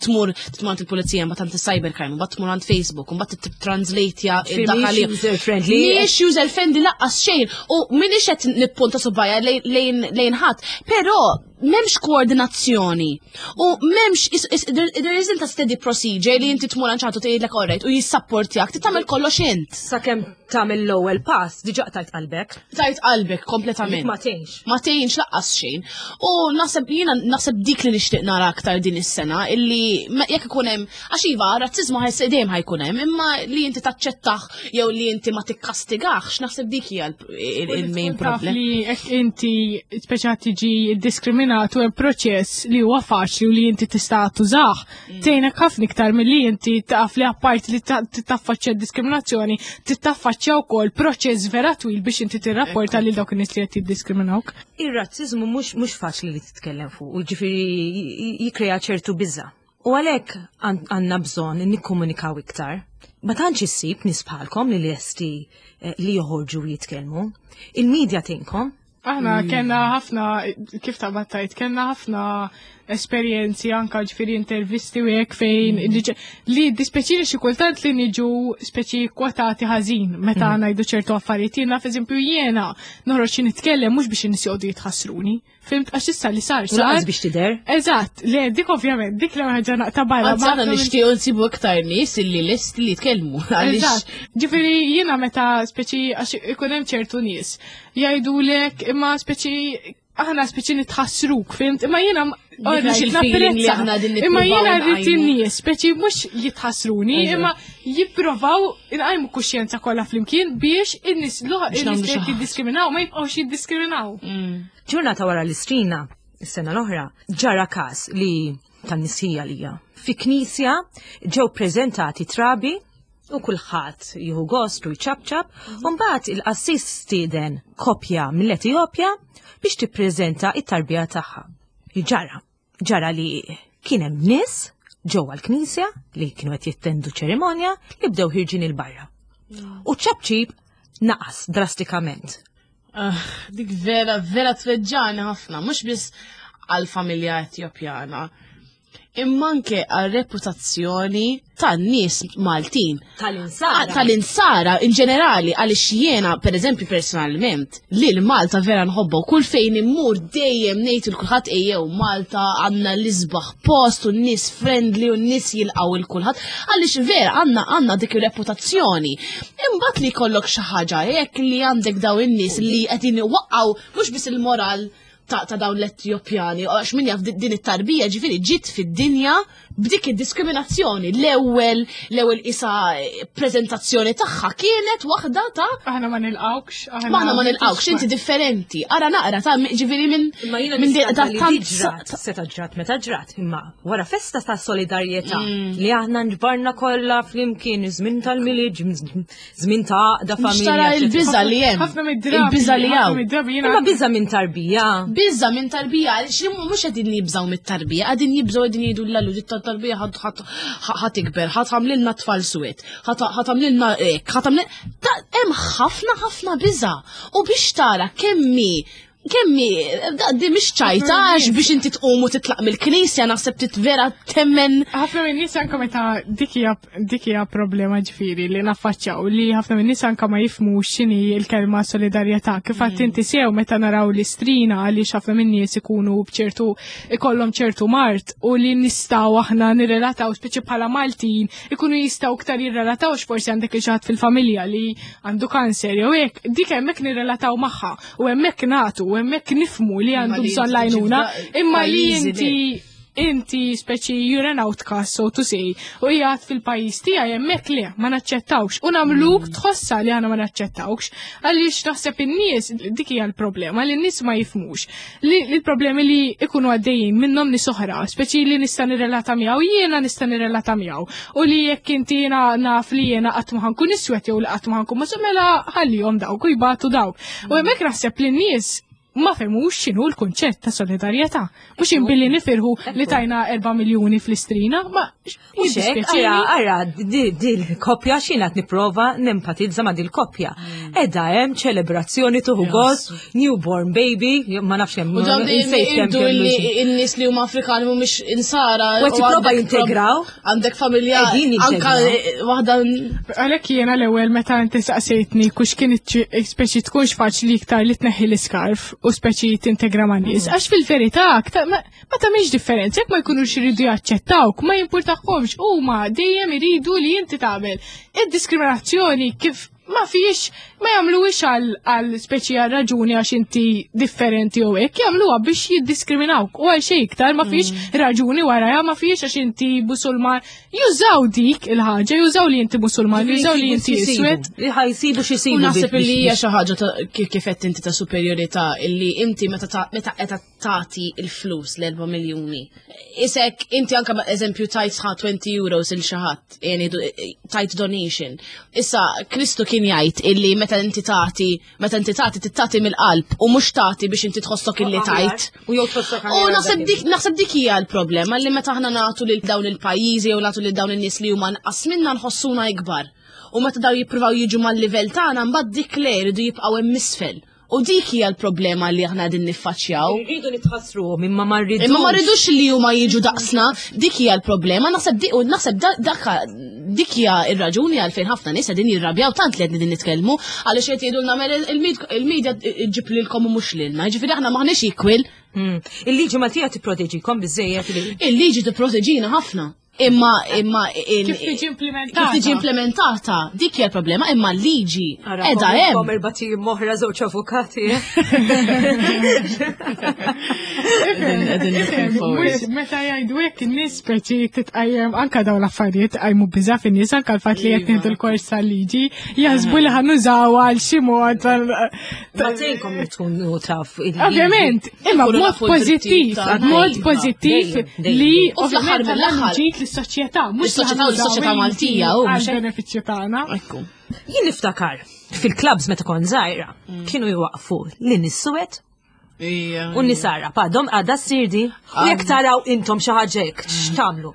tmur tmur għand il-pulizija, mbagħad għand il-cybercrime, mbagħad tmur għand Facebook, mbagħad translate Mhix user friendly. Mhijiex user friendly lanqas xejn u m'iniex qed nippunta subgħajja lejn lejn ħadd, però m'hemmx koordinazzjoni u m'hemmx is- is- there there isn't a steady procedure li inti tmur għand xi ħadd u tgħidlek alright u jissapportjak, tagħmel kollox int. Sakemm tagħmel l-ewwel pass, diġà tajt qalbek. Tajt qalbek kompletament. Dik ma tgħinx. Ma tgħinx lanqas xejn. U naħseb jiena naħseb dik li nixtieq nara aktar din is-sena, illi ma- jekk ikun hemm, għax iva, razzizmu ħajs dejjem ħa jkun hemm, imma li inti taċċettah jew li inti ma tikkastigax, naħseb dik hija il-main Taf problem. li jekk inti speċa tiġi diskriminatu, hemm proċess li huwa faċli u li inti tista' tużah. Tgħinek ħafna iktar milli inti taf li apparti li ta- taffaċċja diskriminazzjoni, titaffaċċja wkoll proċess vera twil biex inti tirrapporta lil dawk in-nies li qed jiddiskriminawk. Ir-razzizmu mhux mhux faċli li titkellem fuq, u ġifieri jikrea ċertu biża. U għalhekk għandna bżonn nikkomunikaw iktar. Ma tantx issib nies bħalkom li lesti eh, li joħorġu u jitkellmu. Il-medja tgħinkom. Aħna kellna ħafna, kif ta' battajt, kellna ħafna esperjenzi, anka ġifieri intervisti u hekk fejn li- li dispjaċini xi kultant li niġu speċi kwotati ħażin meta ngħidu ċertu affarijiet. Jiena, f'eżempju, jiena noħroġ nitkellem mhux biex in-nies joqogħdu jitħassruni. Fhimt, għax issa li sar U sar. lanqas biex tidher. Eżatt, le, dik ovvjament, dik li ħaġa naqta' barra. Anzi, ma aħna ħafna minn- nixtiequ nsibu iktar nies illi lest li jitkellmu. Għaliex Eżatt. Ġifieri jiena meta speċi, għax ikun hemm ċertu nies jgħidulek imma speċi aħna speċi nitħassruk, fhimt? Imma jiena Dik mhux il-feeling li aħna din Imma nippruvaw jiena rrid nqajmu. in-nies speċi mhux jitħassruni, Eżatt. imma jipprovaw inqajmu kuxjenza kollha flimkien biex in-nies l- Biex in-nies nagħmlu li xi qed ħaġa. jiddiskriminaw ma jibqgħux jiddiskriminaw. Ġurnata wara l-Istrina, is-sena l-oħra, ġara każ li tan-nisija lija. Fi knisja ġew preżentati trabi u kulħadd jieħu gost u jċapċap, u mbagħad il-qassis stieden kopja mill-Etjopja biex tippreżenta it-tarbija tagħha. Ġara, ġara li kien hemm nies ġewwa l-knisja li kienu qed jittendu ċerimonja li bdew ħierġin 'il barra. U ċapċip naqas drastikament. Ah, dik vera, vera tweġġagħni ħafna, mhux biss għal-familja Etjopjana, imma anke għal-reputazzjoni tan-nies Maltin. Tal-insara. Ah, Tal-insara in ġenerali, għaliex jiena, per eżempju, personalment, li l-Malta vera nħobba u kull fejn immur dejjem ngħid lil kulħadd, ejjew Malta, għandna l-isbaħ post u n-nies friendly u n-nies jilqgħu lil kulħadd, għaliex vera għandna għandna dik ir-reputazzjoni. Imbagħad li jkollok xi ħaġa hekk li għandek daw in-nies li qegħdin iwaqqgħu mhux biss il-moral ta', ta' dawn l-Etjopjani, għax min jaf din it-tarbija ġifieri ġiet fid-dinja b'dik id-diskriminazzjoni. L-ewwel l-ewwel isa prezentazzjoni tagħha kienet waħda ta' Aħna ma nilqawkx. Aħna ma nilqawkx, inti differenti. Ara naqra ta' ġifieri minn Imma jiena minn di- niskanta ta' li tant di ġrat, seta ġrat meta ġrat, imma wara festa ta' solidarjetà li aħna nġbarna kollha flimkien, żmien tal-Milied, żmien ta' għaqda Mhux tara familja. il-biża li hemm. Ħafna mid-drabi. Il-biża li ħafna hawn. mid-drabi jiena Imma biża minn tarbija. Biża minn tarbija, għaliex li mhux qegħdin jibżgħu mit-tarbija, qegħdin jibżgħu, qegħdin jgħidu l-allu dit tarbija ħa tikber, ħa tagħmlilna tfal suwed, ħa tagħmlilna hekk, ħa tagħmlil hemm ħafna ħafna biża. U biex tara kemmi kemmi di mhix ċajta, għax biex inti tqum u titlaq mill-knisja naħseb titvera temmen. Ħafna minn nies anka meta dik hija dik hija problema ġifieri li naffaċċjaw, li ħafna minn nies anka ma jifhmux x'inhi l-kelma solidarjetà. Kif għedt inti sew, meta naraw l-Istrina, għaliex ħafna minn nies ikunu bċertu ikollhom ċertu mard u li nistgħu aħna nirrelataw, speċi bħala Maltin ikunu jistgħu iktar jirrelataw, forsi għandek xi ħadd fil-familja li għandu kanser jew hekk, dik hemmhekk nirrelataw magħha u hemmhekk nagħtu u hemmhekk nifhmu li għandu li bżonn inti l-għajnuna, ġibda imma li pajjiżi inti inti speċi you're an outcast, so to say, u jgħat fil-pajjiż tiegħi, hemmhekk le, ma naċċettawx u nagħmluk tħossa li aħna ma naċċettawx, għaliex naħseb in-nies dik hija l-problema li n-nies ma jifhmux li l-problemi li ikunu għaddejjin minnhom nies oħra, speċi li nista' nirrelata miegħu, jiena nista' nirrelata miegħu, u li jekk inti jiena naf li jiena qatt ma ħa nkun iswed jew li qatt ma ħa nkun ma mela ħallihom dawk u jbatu dawk. U hemmhekk naħseb li n-nies Ma fehmux x'inhu l-kunċett ta' solidarjetà. Mhux imbilli nifirħu li tajna erba' miljuni fl-Istrina, ma Mhux hekk, ara, ara, di di l-koppja xina qed nipprova nempatizza ma' dil-koppja. Edha hemm ċelebrazzjoni, tuħu gost, newborn baby, ma nafx hemm. U dawn dejjem insejt kemm jgħidu kellu li xi- n-nies li huma Afrikani mhumiex insara. U qed jipprova għandek jintegraw. Għandek familja Qegħdin anka jintegraw. waħda. Għalhekk jiena l-ewwel meta inti saqsejtni kux kien speċi tkunx faċli iktar li tneħħi l-iskarf u speċi tintegra ma' nies. Għax fil-verità aktar ma ma tagħmilx differenza jekk ma jkunux iridu jaċċettawk, ma jimpurtahomx, huma dejjem iridu li inti tagħmel. Id-diskriminazzjoni kif ma fiex ma jagħmluhiex għal għal speċi għal raġuni għax inti differenti u hekk, jagħmluha biex jiddiskriminawk u għal xejn iktar ma fiex raġuni warajha, ma fiex għax inti Musulman. Jużaw dik il-ħaġa, jużaw li inti Musulman, jużaw li inti iswed. Li ħa jsibu xi U jsibu. naħseb biex- li hija biex- xi ħaġa ta' kif kif qed inti ta' superjorità illi inti meta ta' meta qed tagħti il-flus l-erba' miljuni. Isek inti anka eżempju tajt ħa twenty euros il xi ħadd, yani tajt donation. Issa Kristu kien jgħid illi meta inti tagħti, meta inti tagħti tittati mill-qalb u mhux tagħti biex inti tħossok illi tajt. U jew tħossok U aħjar naħseb dak dik naħseb dik hija l-problema li meta aħna nagħtu lil dawn il-pajjiżi jew nagħtu lil dawn in-nies li huma nqas minna nħossuna ikbar. U meta daw jippruvaw jiġu mal-livell tagħna, mbagħad dik le jridu jibqgħu hemm isfel. U dik hija l-problema li aħna qegħdin niffaċċjaw. Irridu nitħassruhom imma ma rridux. Imma ma rridux li huma jiġu daqsna, dik hija l-problema, naħseb dik u naħseb da- daka dik hija ir-raġuni għalfejn ħafna nies qegħdin jirrabjaw tant li qegħdin nitkellmu, għaliex qed jgħidulna mela il-med- il-medja ġib lilkom u mhux lilna. Jiġifieri aħna maħniex equal. Mm. Il-liġi Maltija tipproteġikom biżejjed li Il-liġi tipproteġina ħafna. Imma imma il- Kif tiġi implementata? Kif tiġi implementata, dik hija l-problema, imma l-liġi qiegħda hemm. Kom erbat ijiem oħra żewġ avukati. Mhux meta jgħidu hekk in-nies speċi titqajjem anka dawn l-affarijiet qajmu biża' fin-nies, anka l-fatt li qed nieħdu l-kors tal-liġi jaħsbu li ħa nużaw għal xi mod. Ma tgħinkom li tkunu taf il-liġi. Ovvjament, imma Ikunu b'mod nafu d-drittijiet pożittiv, tagħna. b'mod Iva. pożittiv Dejjem, dejjem. li U fl-aħħar ovvjament mill-aħħar- ġid lis-soċjetà, mhux Is-soċjetà u l-soċjetà Maltija, u mhux hekk? għal-benefiċċju tagħna. Ekku. Jien niftakar fil-clubs meta kont żgħira kienu jwaqfu lin nies suwed u nisara. Padom għadha ssir di? U jekk taraw intom xi ħaġa hekk, x'tagħmlu?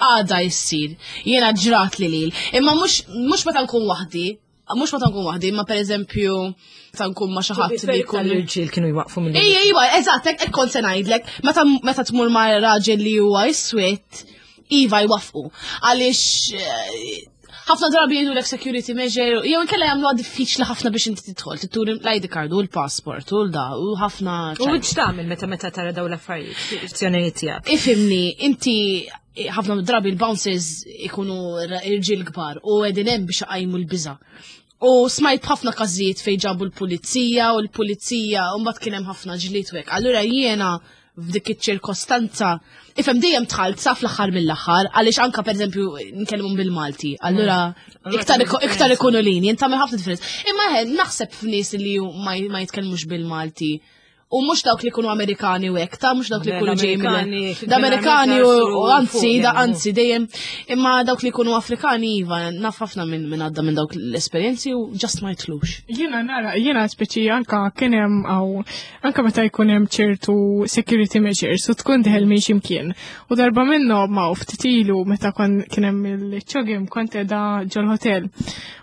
Għada jissir. Jiena ġrat li lil. Imma mhux mhux meta nkun waħdi, mhux meta nkun waħdi, imma pereżempju meta nkun ma' xi ħadd li jkun L-irġiel kienu jwaqfu mill Ejja, ejja, eżatt, hekk hekk kont se ngħidlek, meta meta tmur ma' raġel li huwa iswed, iva jwafqu. Għaliex eh, ħafna drabi jgħidu security measure, jew inkella jagħmluha diffiċli ħafna biex inti tidħol, tituri l-I D card u l-passport u l-da u ħafna. U x'tagħmel meta meta tara dawn l-affarijiet? Azzjonijiet tiegħek. Ifhimni, inti ħafna drabi l-bouncers ikunu irġiel kbar u qegħdin hemm biex iqajmu l-biża. U smajt ħafna każijiet fejn ġabu l-pulizija u l-pulizija u mbagħad kien hemm ħafna ġlied u hekk. Allura jiena f'dik iċ-ċirkostanza, ifhem, dejjem dħalt sa fl-aħħar mill-aħħar, għaliex anka pereżempju nkellmu bil-Malti, allura iktar iktar ikunu lini, jien tagħmel ħafna differenza. Imma eħe, naħseb f'nies li ma ma jitkellmux bil-Malti. U mhux dawk li jkunu Amerikani u hekk, ta' mhux dawk li jkunu ġej L-Amerikani, L-Amerikani u u anzi, da fuq, anzi dejjem, imma dawk li jkunu Afrikani iva, naf ħafna minn min għadda minn dawk l-esperjenzi u just ma jitilgħux. Jiena nara, jiena speċi anka kien hemm għaw, anka meta jkun hemm ċertu security measures u tkun dieħel minn ximkien. U darba minnhom ma ftit ilu meta kon kien hemm il-CHOGM kont qiegħda ġol-hotel.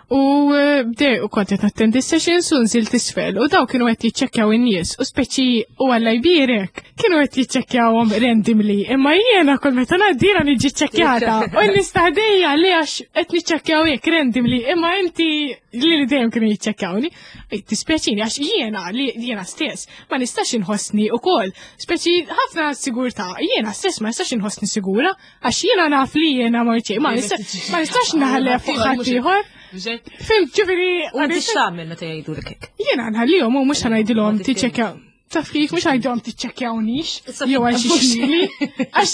U eh, bdej u kont qed nattendi sessions u nżilt isfel u daw kienu qed jiċċekkjaw in-nies u speċi u Alla jbierek kienu qed jiċċekkjawhom randomly, imma jiena kull meta ngħaddira niġi ċċekkjata u n-nies ta' ħdejja li għax qed niċċekkjaw hekk randomly, imma inti li li dejjem kienu jiċċekkjawni. Ej, Tispjaċini għax jiena li jiena stess ma nistax inħossni ukoll speċi ħafna sigurtà, jiena stess ma nistax inħossni sigura għax jiena naf li jiena ma ma nistax ma nistax naħlef fuq ħaddieħor. Fhimt, ġifieri. U inti x'tagħmel meta jgħidulek hekk? Jiena nħallihom u mhux ħa ngħidilhom Ma tiċċekkjaw. Taf kif, mhux ngħidilhom tiċċekkjawnix jew għal xi xili, għax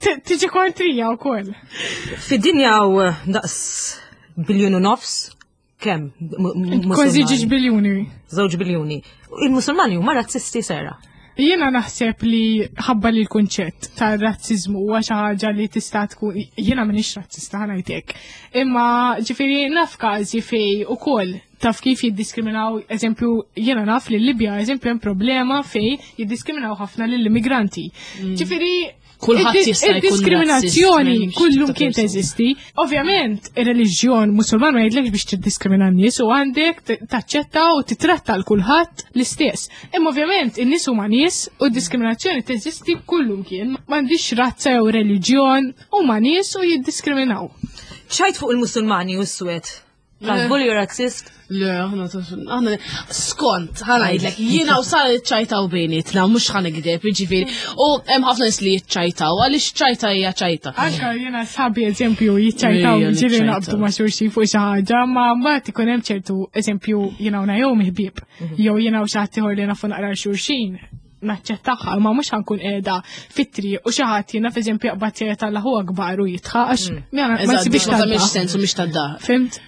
t- tiġi kontrija wkoll. Fid-dinja u daqs biljun u nofs, kemm? M- m- Kważi Musulmani? ġiġ biljuni. Żewġ biljuni. Il-Musulmani huma razzisti, Sera? Jiena naħseb li ħabba li l-kunċett ta' razzizmu huwa xi ħaġa li tista' tkun, jiena m'iniex razzista, ħa ngħidlek. Imma ġifieri naf każi fej ukoll taf kif jiddiskriminaw, eżempju, jiena naf li l-Libja, eżempju, hemm problema fej jiddiskriminaw ħafna lill-immigranti. Ġifieri Kulħadd id- jista' jkun id-diskriminazzjoni razzist, m'hemmx kullum tip ta' kien persuna. teżisti. Ovvjament, ir-reliġjon Musulman ma jgħidlekx biex tiddiskrimina n-nies u għandek t- taċċetta u titratta l kulħadd l-istess. Imma ovvjament in-nies huma nies u d-diskriminazzjoni teżisti kullum kien. M'għandix razza jew reliġjon, huma nies u jiddiskriminaw. ċajt fuq il-Musulmani u s-Swed. Taħsbu li razzist? Le, aħna aħna skont, ħa ngħidlek, jiena u Sara ċajtaw bejnietna, mhux ħa nigdeb, jiġifieri. U hemm ħafna nies li jiċċajtaw, għaliex ċajta hija ċajta. Anka jiena sħabi, eżempju, jiċċajtaw, Ejja, ġieli niċċajtaw. naqbdu ma' xulxin fuq xi ħaġa, ma mbagħad ikun hemm ċertu eżempju jiena u Naomi ħbieb, jew jiena u xi ħadd ieħor li nafu naqra xulxin naċċettaha, ma mhux ħa nkun qiegħda fit-triq u xi ħadd jiena f'eżempju jaqbad jgħid Allahu Akbar u jidħaq għax ma ma Eżatt, nsibix ma tagħmilx tad-daħk. sens u mhix tad-daħk. Fhimt?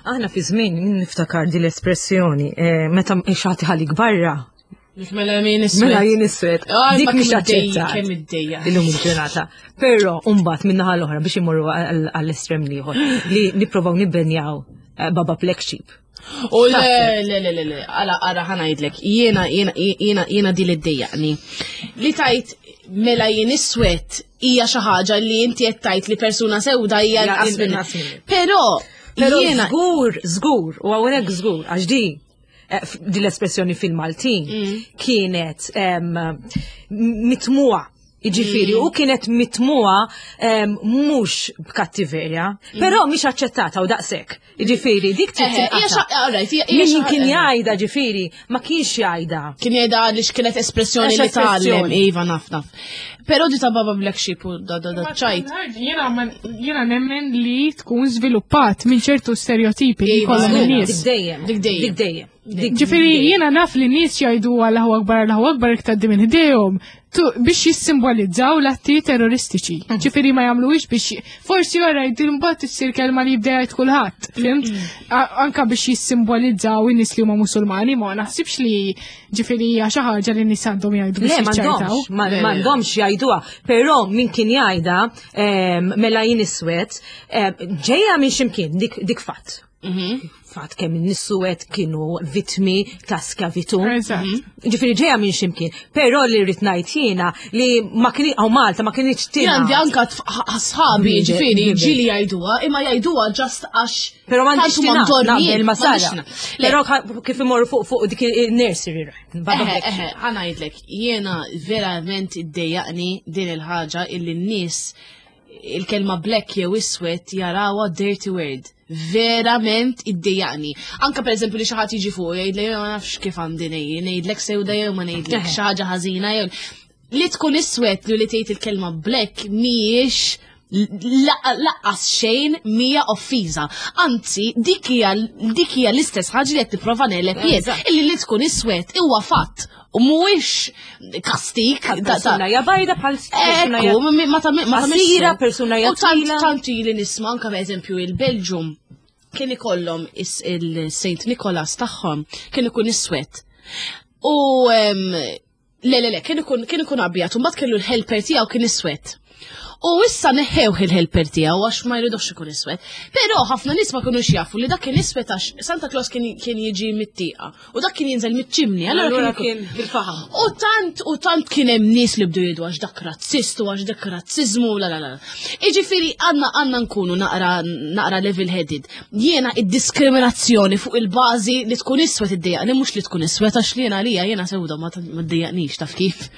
Aħna fi żmien niftakar di l-espressjoni, eh, meta xi ħadd iħallik barra. Mela min iswed. Mela jien iswed. Ay, Dik ma mhix kemm iddejja, aċċettat. kemm iddejja. Illum il-ġurnata. Però mbagħad min-naħa l-oħra biex imorru għall- għall-estrem l-ieħor li nipprovaw nibbenjaw eh, Baba Black Sheep. U le, le, le, le, le, għala, għara ħa ngħidlek, jiena, jiena, jiena, jiena di li ddejjaqni. Li tajt mela jien iswed hija xi ħaġa li inti qed tajt li persuna sewda hija Ja, inqas minni. inqas minni. Però Però jiena żgur, żgur, u hawnhekk żgur, għax di eh, f- di l-espressjoni fil-Maltin kienet em, mitmuha. Jiġifieri, u kienet mitmuha em, mhux b'kattiverja, però mhix aċċettata u daqshekk. Jiġifieri, dik trid Eħe, hija tinqata'. xa- alright, hija- hija Min xa- kien eh. jgħidha, ġifieri, ma kienx jgħidha. Kien jgħidha għaliex kienet espressjoni Għax li tgħallem, espressjoni. iva, naf naf. Però di ta' Baba Black Sheep u da da da ċajt. Jiena ma- jiena nemmen li tkun żviluppat minn ċertu stereotipi li Iva, kollhom żgur. in-nies. Dik dejjem. Dik dejjem. Dik dejjem. Dik Ġifieri jiena naf li nies jgħidu Allahu Akbar, Allahu Akbar iktar minn ħdejhom tu- biex jissimbolizzaw l-atti terroristiċi. Ġifieri ma jagħmluhiex biex forsi wara jgħidu mbagħad issir kelma li jibda jgħid kulħadd, fhimt? A- Anka biex jissimbolizzaw in-nies li huma Musulmani, ma naħsibx li ġifieri hija xi ħaġa li n-nies għandhom jgħidu Le, biex jiċċajtaw. m'għandhomx, ma- Le, le. m'għandhomx jgħiduha, però min kien jgħidha em, mela jien iswed, em, ġejja minn ximkien, dik, dik fatt. Fatt kemm in-nies kienu vittmi ta' skjavitu. Eżatt. Ġifieri ġejja minn ximkien, però li rrid ngħid jiena li ma kien hawn Malta ma kienx Jien għandi tingħad. anka tf- sħabi, Ħbieb, ġifieri, ħbieb. ġieli jgħiduha, imma jgħiduha just għax. Però m'għandix tant huma tingħad mdorrijin, naqbel ma m'għandix Sara. tingħad. Le, Però ka- kif imorru fuq fuq dik il-nursery rhyme. Baba Eħe, Black eħe, ħa ngħidlek, jiena verament iddejjaqni din il-ħaġa illi n-nies il-kelma black jew iswed jarawha dirty word. Verament iddejjaqni. Anka per eżempju li xi ħadd jiġi fuq jgħidlek ma nafx kif għandi ngħid, ngħidlek sewda jew ma ngħidlek Eħe. xi ħaġa ħażina jew li tkun iswed li li tgħid il-kelma black mhijiex lanqas xejn mija offiża. Anzi, dik hija dik hija l-istess ħaġa li qed tipprova negħleb jien. Eżatt. Illi li tkun iswed huwa fatt u mhuwiex kastik. Bħal da- ta- persuna hija bajda, bħal persuna hija Ekku, ma ma ta' ma ta' Qasira, persuna hija U tant twila. tant ili nisma' anke per eżempju il-Belġium kien ikollhom is- il-Saint Nicholas tagħhom kien ikun iswed. U em, le le le kien ikun kien ikun abjad u mbagħad kellu l-helper tiegħu kien iswed. U issa neħħewh il-helper tiegħu għax ma jridux ikun iswed. Però ħafna nies ma kinux jafu li dak kien iswed għax Santa Claus kien kien jiġi mit-tieqa u dak kien jinżel mit-ċimni. Allura Allura kien ikun- kien bil-faħam. U tant, u tant kien hemm nies li bdew jgħidu għax dak razzist u għax dak razzizmu, la la la. Iġifieri għandna għandna nkunu naqra naqra level headed. Jiena id-diskriminazzjoni fuq il-bażi li tkun iswed iddejjaqni, mhux li tkun iswed, għax li jiena għalija jiena sewda ma ma ddejjaqnix, taf kif.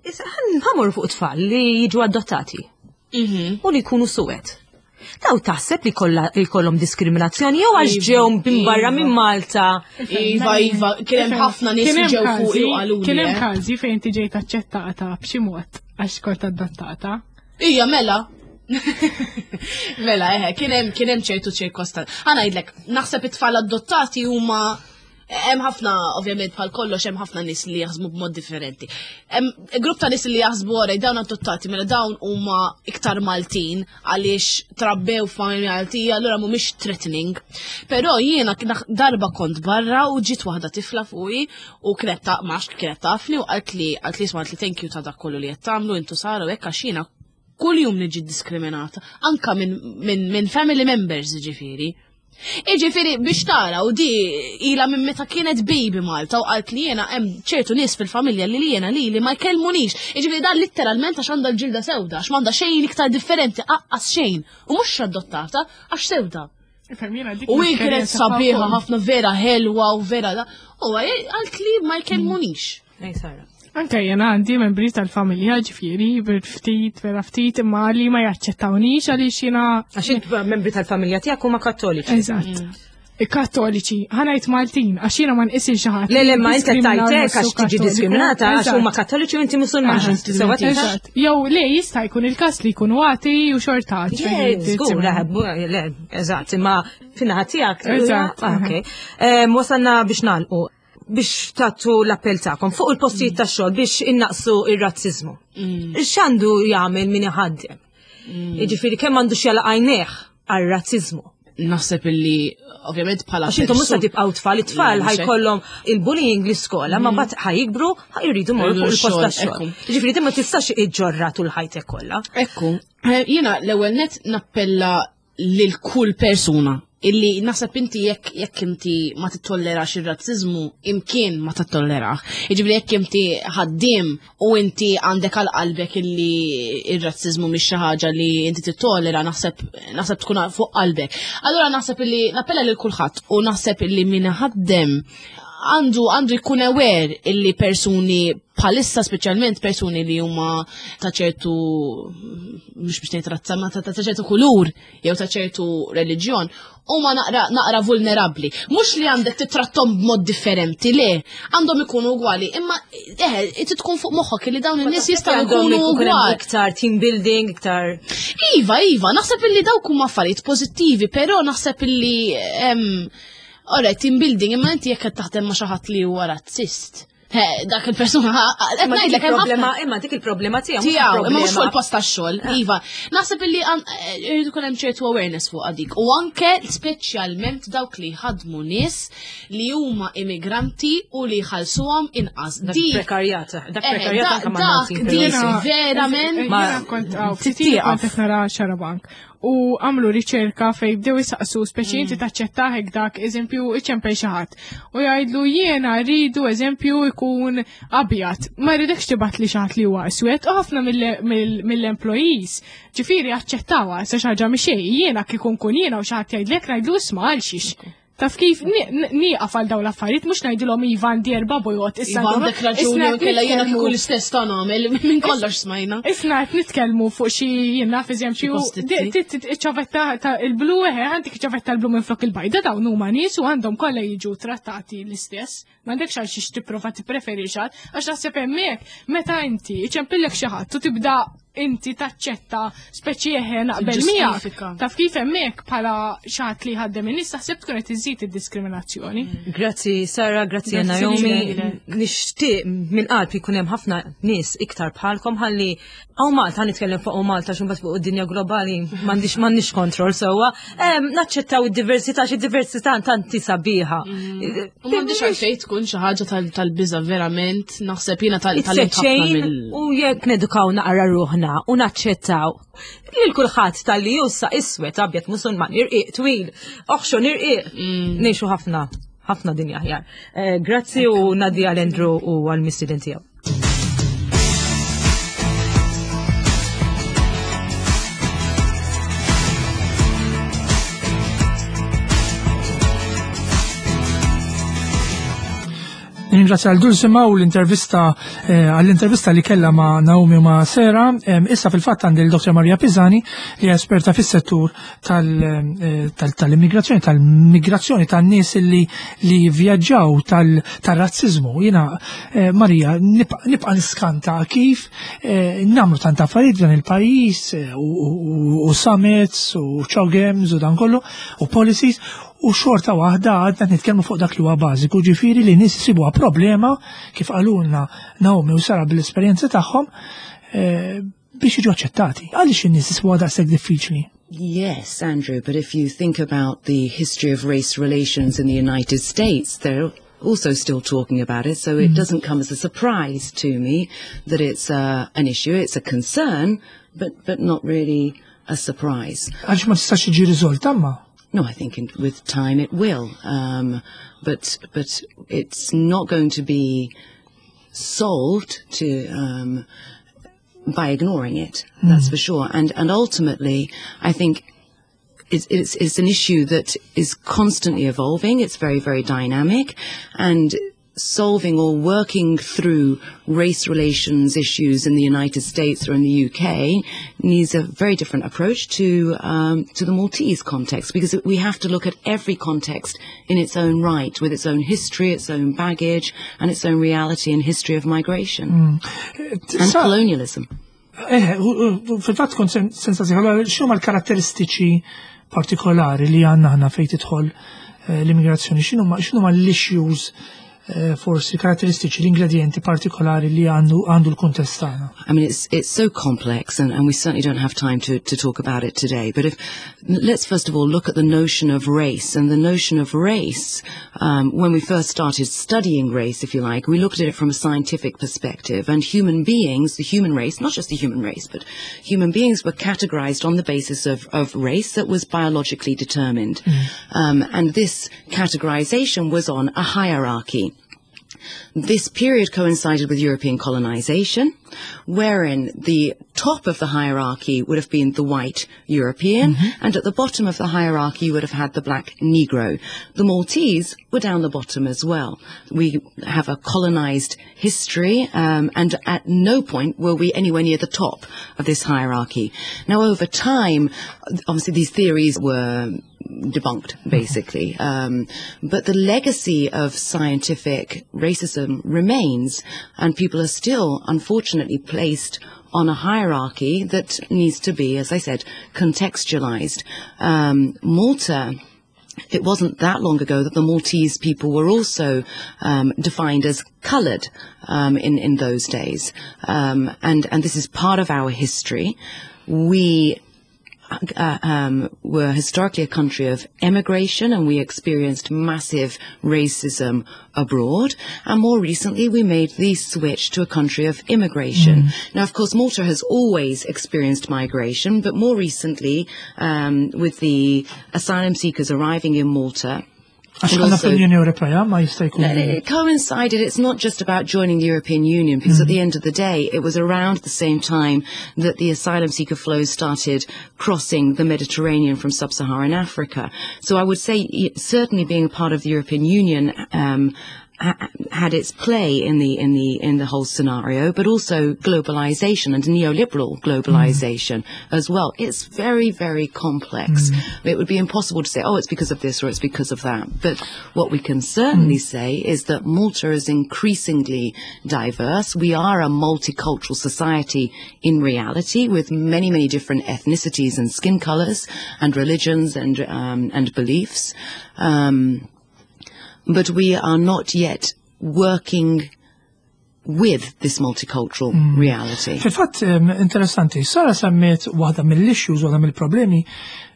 Issa ħa mmorru fuq tfal li jiġu adottati u li jkunu suwed. Daw taħseb li kollha li jkollhom diskriminazzjoni jew għax Iva, ġew minn barra iva. minn Malta? Iva, iva, kien hemm ħafna nies li Kien hemm ġew fuq każi- u qaluli. Kien hemm eh. każi fejn inti ġejt aċċettata b'xi mod għax kont adottata. Ija, mela. Mela, eħe, kien hemm kien hemm ċertu ċirkostanzi. Ħa ngħidlek, naħseb it-tfal adottati huma Hemm ħafna, ovvjament, bħal kollox hemm ħafna nies li jaħsbu b'mod differenti. Hemm grupp ta' nies li jaħsbu ora dawn adottati mela dawn huma iktar Maltin għaliex trabbew f'familja Maltija, allura mhumiex threatening. Però jiena darba kont barra u ġiet waħda tifla fuqi u kienet ta' max kienet tafni u qalt li qalt li isma' li thank you ta' dak kollu li qed tagħmlu intu Sara u hekk għax jiena kuljum niġi diskriminata anka minn min, min family members ġifieri. Iġifieri biex tara u di ila minn meta kienet baby Malta u qalt li jiena hemm ċertu nies fil-familja li jiena li li ma jkellmunix. Iġifieri dan litteralment għax għandha l-ġilda sewda, għax m'għandha xejn iktar differenti, aqqas xejn. U mhux adottata għax sewda. U hi kienet sabiħa ħafna vera ħelwa u vera da. U qalt li ma jkellmunix. Ej Sara. Anke jena għandi membri tal-familja ġifieri, ftit, vera ftit, imma li ma jaċċettawnix għaliex jiena. Għax int membri tal-familja tiegħek huma kattoliċi. Eżatt. Kattoliċi, ħa ngħid Maltin, għax jiena ma nqisix xi ħadd. Le, le, ma inti tajtek għax tiġi diskriminata għax huma kattoliċi u inti Musulman. Eżatt. Jew le jista' jkun il-każ li jkunu għati u xorta. Żgur, le, eżatt, imma fin-naħa tiegħek. Eżatt. Okej. Wasalna biex nagħlqu biex tagħtu l-appell tagħkom fuq il-postijiet tax-xogħol biex innaqsu ir-razziżmu. X'għandu jagħmel min iħaddem? Jiġifieri kemm għandu x'jalaq għajnejh għar-razziżmu? Naħseb illi ovvjament bħala għax intom mhux se tibqgħu tfal, it-tfal ħajkollhom il-bullying l-iskola, ma mbagħad ħajikbru ħajridu morru fuq il-post tax-xogħol. Jiġifieri ma tistax iġġorra tul ħajtek kollha. Ekku, jiena l-ewwel net nappella lil kull persuna illi naħseb inti jekk jekk inti ma tittollerax ir-razziżmu imkien ma tittollerax. Jiġifieri jekk inti ħaddiem u inti għandek għal qalbek illi ir-razziżmu mhix xi ħaġa li inti tittollera, naħseb naħseb tkun fuq qalbek. Allura naħseb illi nappella lil kulħadd u naħseb illi min ħaddem għandu għandu jkun aware illi persuni bħalissa speċjalment persuni li huma ta' ċertu mhux biex ngħid razza ma ta' ċertu kulur jew ta' ċertu reliġjon huma naqra naqra vulnerabbli. Mhux li għandek titrattom b'mod differenti, le, għandhom ikunu ugwali, imma eh tkun fuq moħħok li dawn in-nies jistgħu jkunu ugwali. Iktar team building, iktar. Iva, iva, naħseb illi dawk huma affarijiet pożittivi, però naħseb illi Ora, team building, imma inti jekk qed taħdem ma' xi ħadd li huwa razzist. Dak il-persuna qed ngħidlek hemm problema, imma dik il-problema tiegħu. Tiegħu, imma mhux fuq il-post tax-xogħol, iva. Naħseb illi irid ikun hemm ċertu awareness fuq dik. U anke speċjalment dawk li ħadmu nies li huma immigranti u li jħallsuhom inqas. Dak prekarjat, dak prekarjat anke ma' Dak verament. Jiena kont kont qed nara Xarabank. U għamlu riċerka fej bdew jisaqsu speċi inti taċċetta hekk dak eżempju iċempel xi ħadd. U jgħidlu jiena rridu eżempju jkun abjad. Ma rridekx tibgħat li xi ħadd li huwa iswed u ħafna mill-employees ġifieri aċċettawha sa xi ħaġa mhi xejn. Jiena kieku nkun jiena u xi ħadd jgħidlek ngħidlu isma' għal xiex. Taf kif nieqaf għal dawn l-affarijiet mhux ngħidilhom iva għandi erba' bojot issa. Iva għandek raġuni u kellha jiena kieku l-istess ta' nagħmel minn kollox smajna. Isna qed nitkellmu fuq xi jien naf eżempju iċ-ċavetta ta' il-blu eħe għandek iċ-ċavetta l-blu minflok il-bajda dawn huma nies u għandhom kollha jiġu trattati l-istess. M'għandekx għal xiex tipprova tippreferi xi ħadd għax naħseb hemmhekk meta inti iċempillek xi ħadd u tibda inti taċċetta speċi eħe naqbel miegħek. Taf kif hemmhekk bħala xi ħadd li ħaddem in-nies taħseb tkun qed iżid id-diskriminazzjoni. Grazzi Sara, grazzi Naomi. Nixtieq minn qalbi jkun hemm ħafna nies iktar bħalkom ħalli hawn Malta nitkellem fuq Malta xi mbagħad fuq id-dinja globali m'għandix m'għandniex kontroll sewwa. Naċċettaw id-diversità xi diversità tanti sabiħa. U m'għandix għalfejn tkun xi ħaġa tal-biża' verament, naħseb jiena tal-ħafna mill. U jekk nedukaw naqra ruħna u naċċettaw lil kulħadd tal-li jussa iswed abjad Musulman irqiq twil, oħxon irqiq, ngħixu ħafna ħafna dinja aħjar. Grazzi u ngħaddi għal Andrew u għal mistieden tiegħu. Nirringrazzja għal Dulcima u l-intervista eh, għall-intervista li kella ma' Naomi u ma' Sera. Em, Issa fil-fatt għandi l-Dottor Maria Pisani li hija esperta fis-settur tal- eh, tal- tal-immigrazzjoni, tal-migrazzjoni, tan-nies li li vjaġġaw tal- tal-razzizmu. Jiena eh, Maria, nibqa' nibqa' niskanta kif eh, nagħmlu tant affarijiet f'dan il-pajjiż eh, u- u u summits u CHOGMs u dan kollu u policies u xorta waħda għadna nitkellmu fuq dak li huwa bażiku, ġifieri li nies isibuha problema kif qalulna Naomi u Sara bil-esperjenza tagħhom eh, biex jiġu aċċettati. Għaliex in-nies isibuha daqshekk diffiċli? Yes, Andrew, but if you think about the history of race relations in the United States, they're also still talking about it, so it doesn't come as a surprise to me that it's uh, an issue. It's a concern, but, but not really a surprise. Għaliex ma tistax tiġi riżolta ma? No, I think in, with time it will, um, but but it's not going to be solved to um, by ignoring it. That's for sure. And and ultimately, I think it's, it's it's an issue that is constantly evolving. It's very very dynamic, and solving or working through race relations issues in the United States or in the U K needs a very different approach to um, to the Maltese context, because we have to look at every context in its own right, with its own history, its own baggage, and its own reality and history of migration and Sa- colonialism. Eh, u- u- fil-fatt kont sen- sensazzi, allora x'huma l-karatteristiċi partikolari li għandna aħna fejn tidħol eh, l-immigrazzjoni, x'inhuma x'inhuma l-issues eh, forsi karatteristiċi, l-ingredienti partikolari li għandu għandu l-kuntest tagħna? I mean, it's it's so complex, and, and we certainly don't have time to, to talk about it today. But if let's first of all look at the notion of race, and the notion of race, um, when we first started studying race, if you like, we looked at it from a scientific perspective, and human beings, the human race, not just the human race, but human beings were categorized on the basis of, of race that was biologically determined. Um, and this categorization was on a hierarchy. This period coincided with European colonization, wherein the top of the hierarchy would have been the white European, and at the bottom of the hierarchy you would have had the black Negro. The Maltese were down the bottom as well. We have a colonized history, um, and at no point were we anywhere near the top of this hierarchy. Now, over time, obviously these theories were debunked, basically. Um, but the legacy of scientific racism remains, and people are still, unfortunately, placed on a hierarchy that needs to be, as I said, contextualized. Um, Malta, it wasn't that long ago that the Maltese people were also um, defined as coloured um, in in those days, um, and and this is part of our history. We uh, um, were historically a country of emigration, and we experienced massive racism abroad. And more recently, we made the switch to a country of immigration. Now, of course, Malta has always experienced migration, but more recently, um, with the asylum seekers arriving in Malta, Għax and għandna also- fl-Unjoni Ewropea ma jista' jkun. It coincided. It's not just about joining the European Union, because at the end of the day, it was around the same time that the asylum seeker flows started crossing the Mediterranean from sub-Saharan Africa. So I would say y- certainly being a part of the European Union um, ha- had its play in the in the in the whole scenario, but also globalization and neoliberal globalization as well. It's very, very complex. It would be impossible to say, "Oh, it's because of this or it's because of that." But what we can certainly say is that Malta is increasingly diverse. We are a multicultural society in reality, with many, many different ethnicities and skin colors and religions and um, and beliefs. Um, but we are not yet working with this multicultural reality. Fil-fatt em, interessanti, Sara semmiet waħda mill-issues, waħda mill-problemi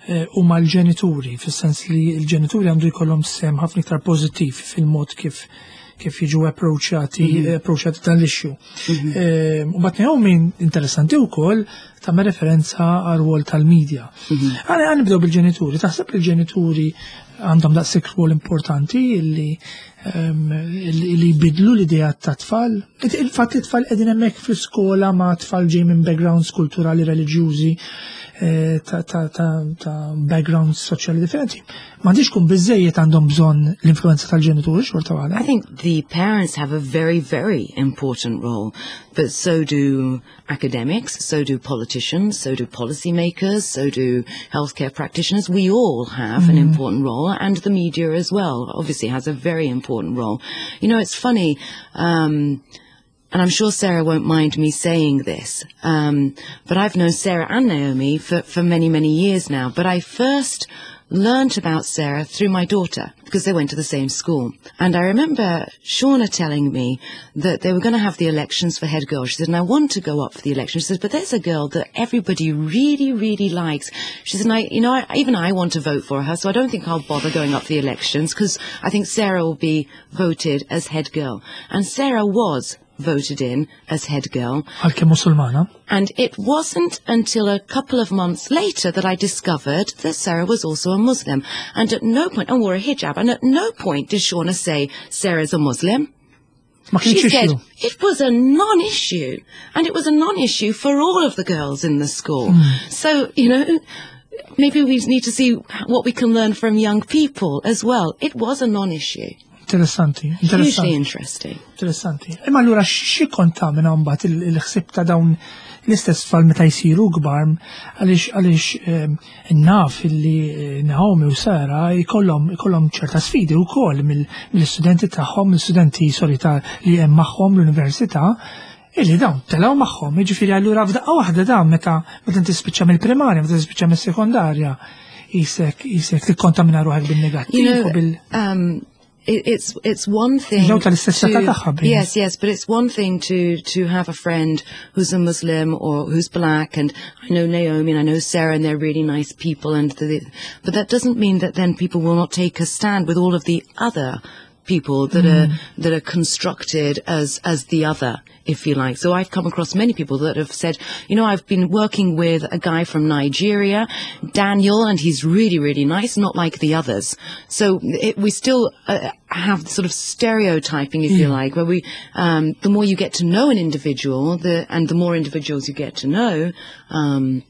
eh, huma l-ġenituri, fis-sens li l-ġenituri għandu jkollhom sehem ħafna iktar pożittiv fil-mod kif kif jiġu approachati approachati dan l-issue. Eh, U mbagħad Naomi, interessanti wkoll tagħmel referenza għar-rwol tal-media. Għana għan nibdew bil-ġenituri, taħseb li l-ġenituri għandhom daqshekk rwol importanti illi em, illi illi jbidlu l-idea ta' tfal? Il-fatt li tfal qegħdin hemmhekk fl-iskola ma' tfal ġej minn backgrounds kulturali, reliġjużi eh, ta' ta' ta' ta' backgrounds soċjali differenti. M'għandix kun biżejjed għandhom bżonn l-influenza tal-ġenituri xorta waħda. I think the parents have a very, very important role, but so do academics, so do politicians, so do policymakers, so do healthcare practitioners. We all have an important role, and the media as well, obviously, has a very important role. You know, it's funny, um, and I'm sure Sarah won't mind me saying this, um, but I've known Sarah and Naomi for, for many, many years now. But I first learnt about Sarah through my daughter because they went to the same school. And I remember Shauna telling me that they were going to have the elections for head girl. She said, and I want to go up for the election. She said, but there's a girl that everybody really, really likes. She said, and I, you know, I, even I want to vote for her, so I don't think I'll bother going up for the elections because I think Sarah will be voted as head girl. And Sarah was voted in as head girl. Għalkemm Musulmana. And it wasn't until a couple of months later that I discovered that Sarah was also a Muslim. And at no point, and wore a hijab, and at no point did Shauna say, Sarah's a Muslim. Ma kienx She said issue. it was a non-issue. And it was a non-issue for all of the girls in the school. So, you know, maybe we need to see what we can learn from young people as well. It was a non-issue. Interessanti, Hugely interessanti. interesting. Interessanti. Imma allura xi kontamina mbagħad il- il-ħsieb ta' dawn l-istess tfal meta jsiru kbar għaliex għaliex ehm, naf illi eh, Naomi u Sara jkollhom ikollhom ċerta sfidi wkoll mill- mill-istudenti tagħhom, mill-istudenti sorry ta' li hemm magħhom l-università illi dawn telgħu magħhom, jiġifieri allura f'daqqa waħda dawn meta meta tispiċċa mill-primarja, meta tispiċċa mis-sekondarja, isek isek tikkontamina ruħek bin-negattiv You know, u bil um, it, it's it's one thing. Jew tal-istess età tagħha, to, bejn. yes, yes, but it's one thing to to have a friend who's a Muslim or who's black, and I know Naomi and I know Sarah, and they're really nice people, and the, but that doesn't mean that then people will not take a stand with all of the other people that are that are constructed as as the other, if you like. So I've come across many people that have said, you know, I've been working with a guy from Nigeria, Daniel, and he's really, really nice, not like the others. So it, we still uh, have sort of stereotyping, if you like, where we, um, the more you get to know an individual, the and the more individuals you get to know, um,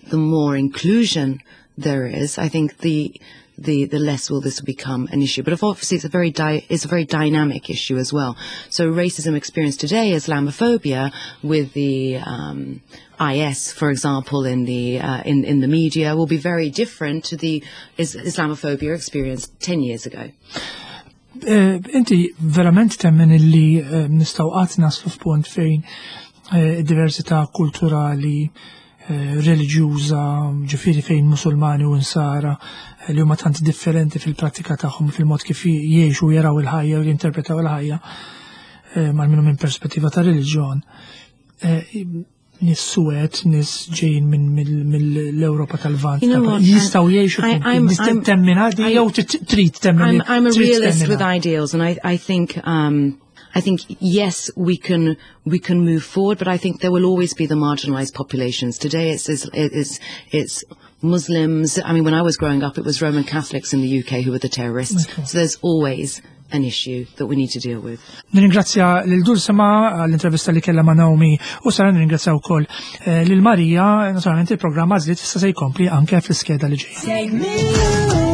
the more inclusion there is. I think the the the less will this become an issue. But obviously, it's a very di- it's a very dynamic issue as well. So racism experienced today, Islamophobia, with the um, IS, for example, in the uh, in in the media, will be very different to the is- Islamophobia experienced ten years ago. Eh, Inti verament temmen illi eh, nistgħu qatt naslu f'punt fejn eh, diversità kulturali, eh, reliġjuża, ġifieri fejn musulmani u nsara eh, li huma tant differenti fil-prattika tagħhom fil-mod kif jgħixu jaraw il-ħajja u jinterpretaw il-ħajja, eh, mal-minu minn perspettiva ta' reliġjon. Eh, Nies suwed, nies ġejjin minn mill-Ewropa tal-Lvant, You know what, jistgħu jgħixu I- flimkien. I'm- Nista' I'm- temmen għadi I- jew trid temmen I'm, I'm a trid realist temminha. with ideals, and I, I think um, I think yes, we can we can move forward, but I think there will always be the marginalised populations. Today, it's it's it's, it's Muslims. I mean, when I was growing up, it was Roman Catholics in the UK who were the terrorists. Okay. So there's always an issue that we need to deal with. Nirringrazzja lil Dulsema għall-intervista li kella ma' Naomi u Sara nirringrazzja wkoll eh, lil Marija, naturalment il-programm Għażliet issa se jkompli anke fl-iskeda li ġejja. Take me